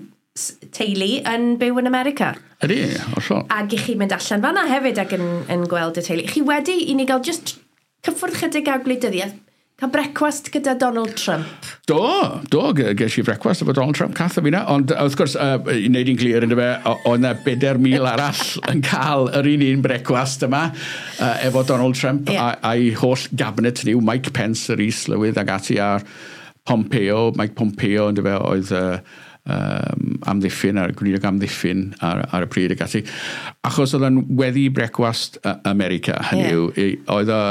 teulu yn byw yn America. Ydy, hollol. Ac i chi mynd allan fanna hefyd ac yn, yn gweld y teulu. Chi wedi i ni gael just cyffwrdd chydig â gwleidyddiaeth. Cael brecwast gyda Donald Trump. Do, do, ges i frecwast efo Donald Trump, cath o fi na, ond wrth gwrs, uh, i wneud i'n glir ynddo fe, oedd yna bedair mil arall yn cael yr un un brecwast yma uh, efo Donald Trump yeah. a'i holl gabinet ni, Mike Pence, yr is-lywydd ag ati, a'r Pompeo, Mike Pompeo ynddo fe, oedd uh, um, amddiffyn, a'r gweinidog amddiffyn ar, ar y pryd ag ati. Achos oedd yn weddi brecwast America, hynny yeah. yw, oedd o,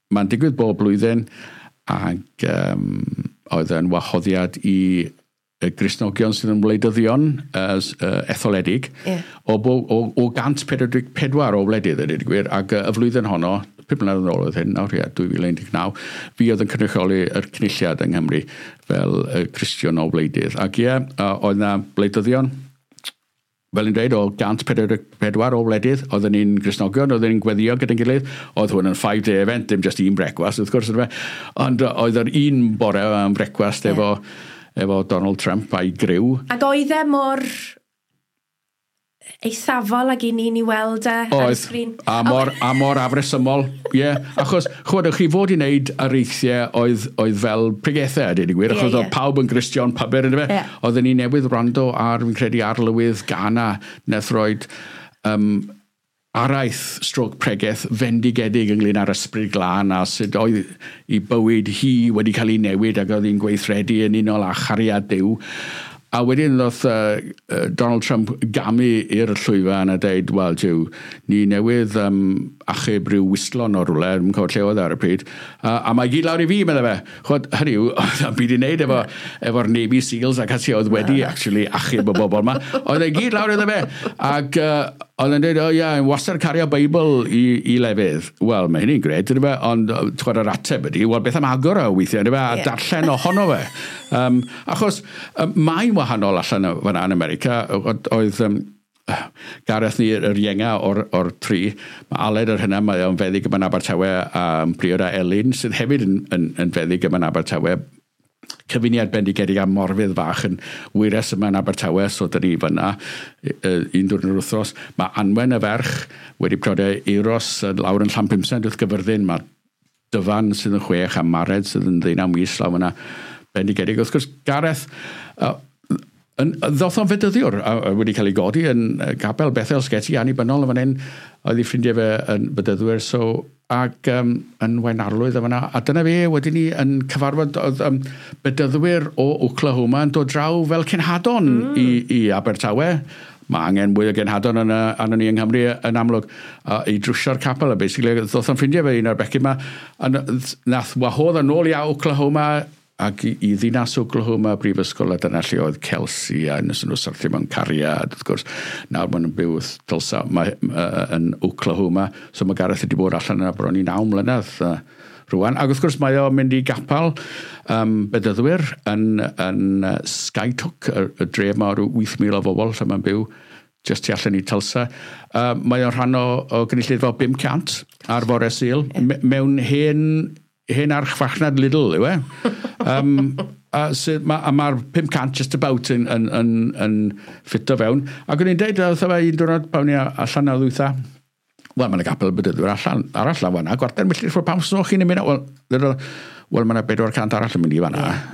mae'n digwydd bob blwyddyn, ac um, oedd yn wahoddiad i y Gristnogion sydd yn wleidyddion uh, uh, etholedig yeah. o, o, o cant pedwar deg pedwar o wledydd ydy gwir, ac uh, y flwyddyn honno, pum mlynedd yn ôl oedd hyn, nawr ie, dwy fil un deg naw, fi oedd yn cynrychioli yr cynulliad yng Nghymru fel uh, Cristion o wleidydd. Ac ie, uh, oedd yna wleidyddion, fel ni'n dweud, o cant pedwar deg pedwar o wledydd, oedden ni'n Gristnogion, oedden ni'n gweddio gyda'n gilydd, oedd hwn yn five day event, dim just un brecwast, wrth gwrs, ond oedd yr un bore am brecwast yeah. efo, efo Donald Trump a'i griw. Ac oedd e mor eithafol ag i ni'n i weld e ar y sgrin? A mor, a mor afresymol, ie. Yeah. Achos, chwbod, chi fod i wneud areithiau oedd, oedd fel pregethau, a dweud y gwir, achos yeah, yeah. oedd pawb yn Gristion pybyr, ynddo fe? Yeah. Oedden ni newydd wrando ar, fi'n credu, arlywydd Ghana, nath roed um, araith stroke pregeth fendigedig ynglyn â'r ysbryd glân a sut oedd i bywyd hi wedi cael ei newid ac oedd hi'n gweithredu yn unol â chariad Duw. A wedyn ddoth uh, Donald Trump gamu i'r llwyfan a deud, wel, jiw, ni newydd um, achub rhyw whistlon o rwle, dwi'n cofio lle oedd ar y pryd, uh, a mae gyd lawr i fi, meddai fe. Chwod, hynny yw, oedd byd i wneud efo, efo'r Navy Seals ac ati oedd wedi actually achub y bobl yma. Oedd e gyd lawr iddo fe. Ac uh, oedd e'n dweud, o ia, oh, wastad cario Beibl i, i lefydd. Wel, mae hynny'n gred, ynddo fe, ond chwod yr ateb ydy, wel, beth am agor o weithiau, ynddo fe, a yeah. darllen ohono fe. Um, achos um, mae'n wahanol allan fan'na yn America, oedd um, Gareth ni yr ienga o'r, or tri, mae Aled yr hynna, mae o'n feddyg yma'n Abertawe, a priod â Elin, sydd hefyd yn, yn, yn feddyg yma'n Abertawe, cyfuniad bendigedig a Morfydd fach yn wyres yma yn Abertawe, so dyn ni fyna un diwrnod yr wythnos. Mae Anwen y ferch wedi priodi Euros lawr yn Llanpumsaint wrth Gyfyrddin, mae Dyfan sydd yn chwech a Mared sydd yn ddeunaw mis lawr fyna bendigedig. Wrth gwrs, Gareth, uh, yn, ddoth o'n fedyddiwr a, a wedi cael ei godi yn Gapel Bethel Sgeti annibynnol yn fan hyn, oedd ei ffrindiau fe yn bedyddwyr, so, ac um, yn Waunarlwydd yn fan'na. A dyna fe, wedyn ni yn cyfarfod oedd um, bedyddwyr o Oklahoma yn dod draw fel cenhadon mm. i, i Abertawe. Mae angen mwy o genhadon yn, arnon ni yng Nghymru yn amlwg uh, i drwsio'r capel. A basically, ddoth o'n ffrindiau fe un o'r becyn yma, a nath wahodd yn ôl i Oklahoma ac i, i ddinas Oklahoma brifysgol, a dyna lle oedd Kelsey a nes nhw syrthio mewn cariad, wrth gwrs. Nawr maen nhw'n byw wrth Tulsa mae, uh, yn Oklahoma, so mae Gareth wedi bod allan yna bron i naw mlynedd uh, rwan. Ac wrth gwrs mae o'n mynd i gapel um, bedyddwyr yn, yn uh, Skiatook, y, y dref ma o wyth mil o bobl lle mae'n byw, just tu allan i Tulsa. Uh, mae o'n rhan o, o gynulleidfa o bum cant ar fore Sul, yeah. mewn hen hen archfarchnad Lidl, yw e? Um, a, sydd, ma, a mae'r pum cant just about yn, yn, yn, yn ffito fewn. Ac o'n i'n deud, wrtho fe un diwrnod pan o'n i allan o ddwytha, wel, mae'n gapel bedyddwyr allan, arall lan fan'na, gwarter milltir ffwrdd, pam so chi'n mynd? Wel, wel mae yna bedwar cant arall yn mynd i fan'na. Yeah.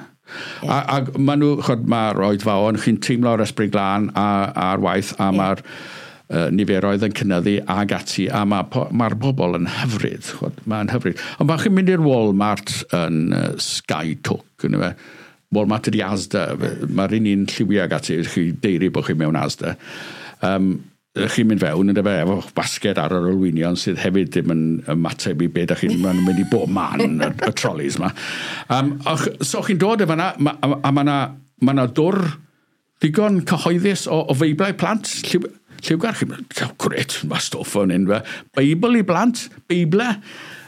Yeah. A, a ma nhw, chod, mae'r oedfaon, chi'n teimlo'r ysbryd glân a'r waith, a yeah. mae'r uh, niferoedd yn cynyddu ag ati, a mae'r ma bobl yn hyfryd, chod, mae'n hyfryd. Ond pan chi'n mynd i'r Walmart yn uh, Skiatook, yn fe, Walmart ydi Asda, mae'r un un lliwiau ag ati, chi deiri bod chi mewn Asda. Um, chi'n mynd fewn yn fe, efo basged ar yr olwynion sydd hefyd ddim yn ymateb i be da chi'n mynd i bob man, y, y trolleys ma. Um, och, so chi'n dod efo yna, ma, a, a mae yna ma na dwr digon cyhoeddus o, o feiblau plant, lliw, lliwgar, chi'n mynd, gret, mae stwff o'n hyn, Beibl i blant, Beible,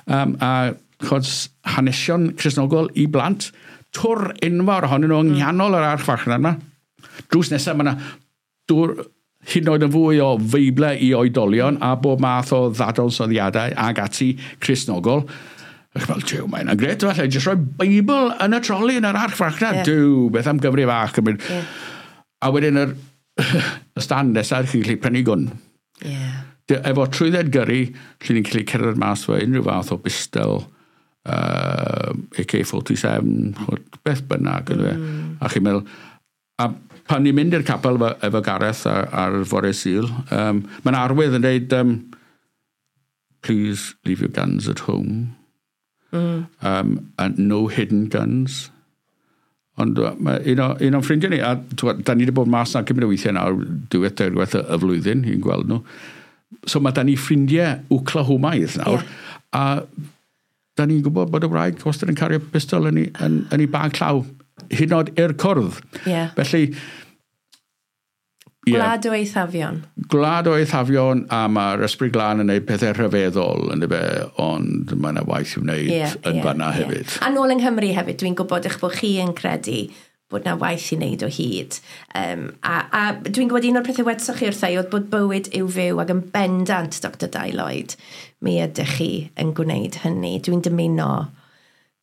um, a chod, hanesion Cristnogol i blant, twr enfawr ohonyn nhw yng nghanol yr archfarchnad yma. Drws nesaf mae yna dwr hyd yn oed yn fwy o feible i oedolion a bob math o ddadansoddiadau ag ati Cristnogol. Ach, fel, jiw, mae hynna'n gret, falle, jyst rhoi Beibl yn y troli yn yr archfarchnad. Yeah. Duw, beth am gyfri fach. Yeah. A wedyn yr y stand nesaf, chi'n gallu prynu gwn. Yeah. Efo trwydded gyrru, lle ni'n gallu cerdded mas fo unrhyw fath o bistol, uh, A K forty-seven, beth bynnag. Mm. A chi'n meddwl, a pan ni'n mynd i'r capel efo, efo Gareth ar, ar fore Sul, um, mae'n arwydd yn dweud, um, please leave your guns at home. Mm. Um, and no hidden guns. Ond mae un, o, un o'n ffrindiau ni, a twa, da ni wedi bod mas na cymaint o weithiau nawr, dwywaith, deirgwaith y, y flwyddyn, i'n gweld nhw. So mae da ni ffrindiau Oklahomaidd nawr, yeah. A da ni'n gwybod bod y wraig wastad yn cario pistol yn ei, yn, yn ei bag llaw, hyd yn oed i'r cwrdd. Yeah. Felly... Yeah, Gwlad o eithafion. Gwlad o eithafion, a mae'r Ysbryd Glân yn gwneud pethau rhyfeddol, yn dyfe, ond mae yna waith i'w wneud yeah, yn yeah, fanna yeah. hefyd. A nôl yng Nghymru hefyd, dwi'n gwybod eich bod chi yn credu bod na waith i wneud o hyd. Um, a, a dwi'n gwybod un o'r pethau wedsoch chi wrtha i oedd bod bywyd yw fyw ac yn bendant, Doctor Dai Lloyd, mi ydych chi yn gwneud hynny. Dwi'n dymuno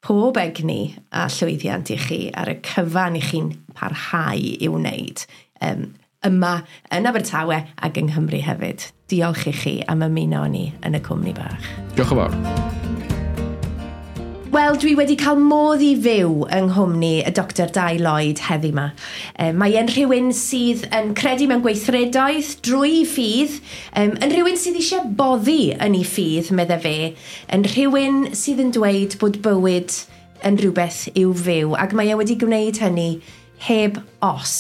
pob egni a llwyddiant i chi ar y cyfan i chi'n parhau i'w wneud. Um, yma yn Abertawe ac yng Nghymru hefyd. Diolch i chi am ymuno â ni yn y cwmni bach. Diolch yn fawr. Wel, dwi wedi cael modd i fyw yng nghwmni y Doctor Dai Lloyd heddi yma. Mae e'n rhywun sydd yn credu mewn gweithredoedd drwy ffydd, yn rhywun sydd eisiau boddi yn ei ffydd, medde fe, yn rhywun sydd yn dweud bod bywyd yn rhywbeth i'w fyw, ac mae e wedi gwneud hynny heb os.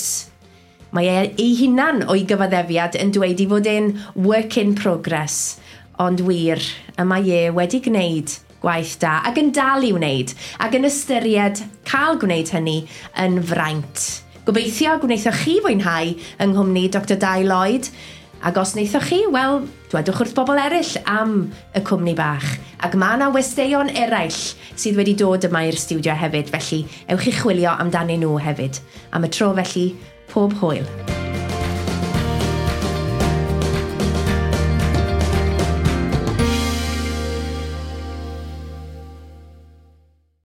Mae e ei hunan o'i gyfaddefiad yn dweud i fod e'n work in progress, ond wir, y mae e wedi gwneud gwaith da ac yn dal i wneud ac yn ystyried cael gwneud hynny yn fraint. Gobeithio gwnaethoch chi fwynhau yng nghwmni Doctor Dai Lloyd, ac os wnaethoch chi, wel, dwedwch wrth bobl eraill am y cwmni bach. Ac mae yna westeion eraill sydd wedi dod yma i'r stiwdio hefyd, felly ewch i chwilio amdanyn nhw hefyd. Am y tro felly, pob hwyl.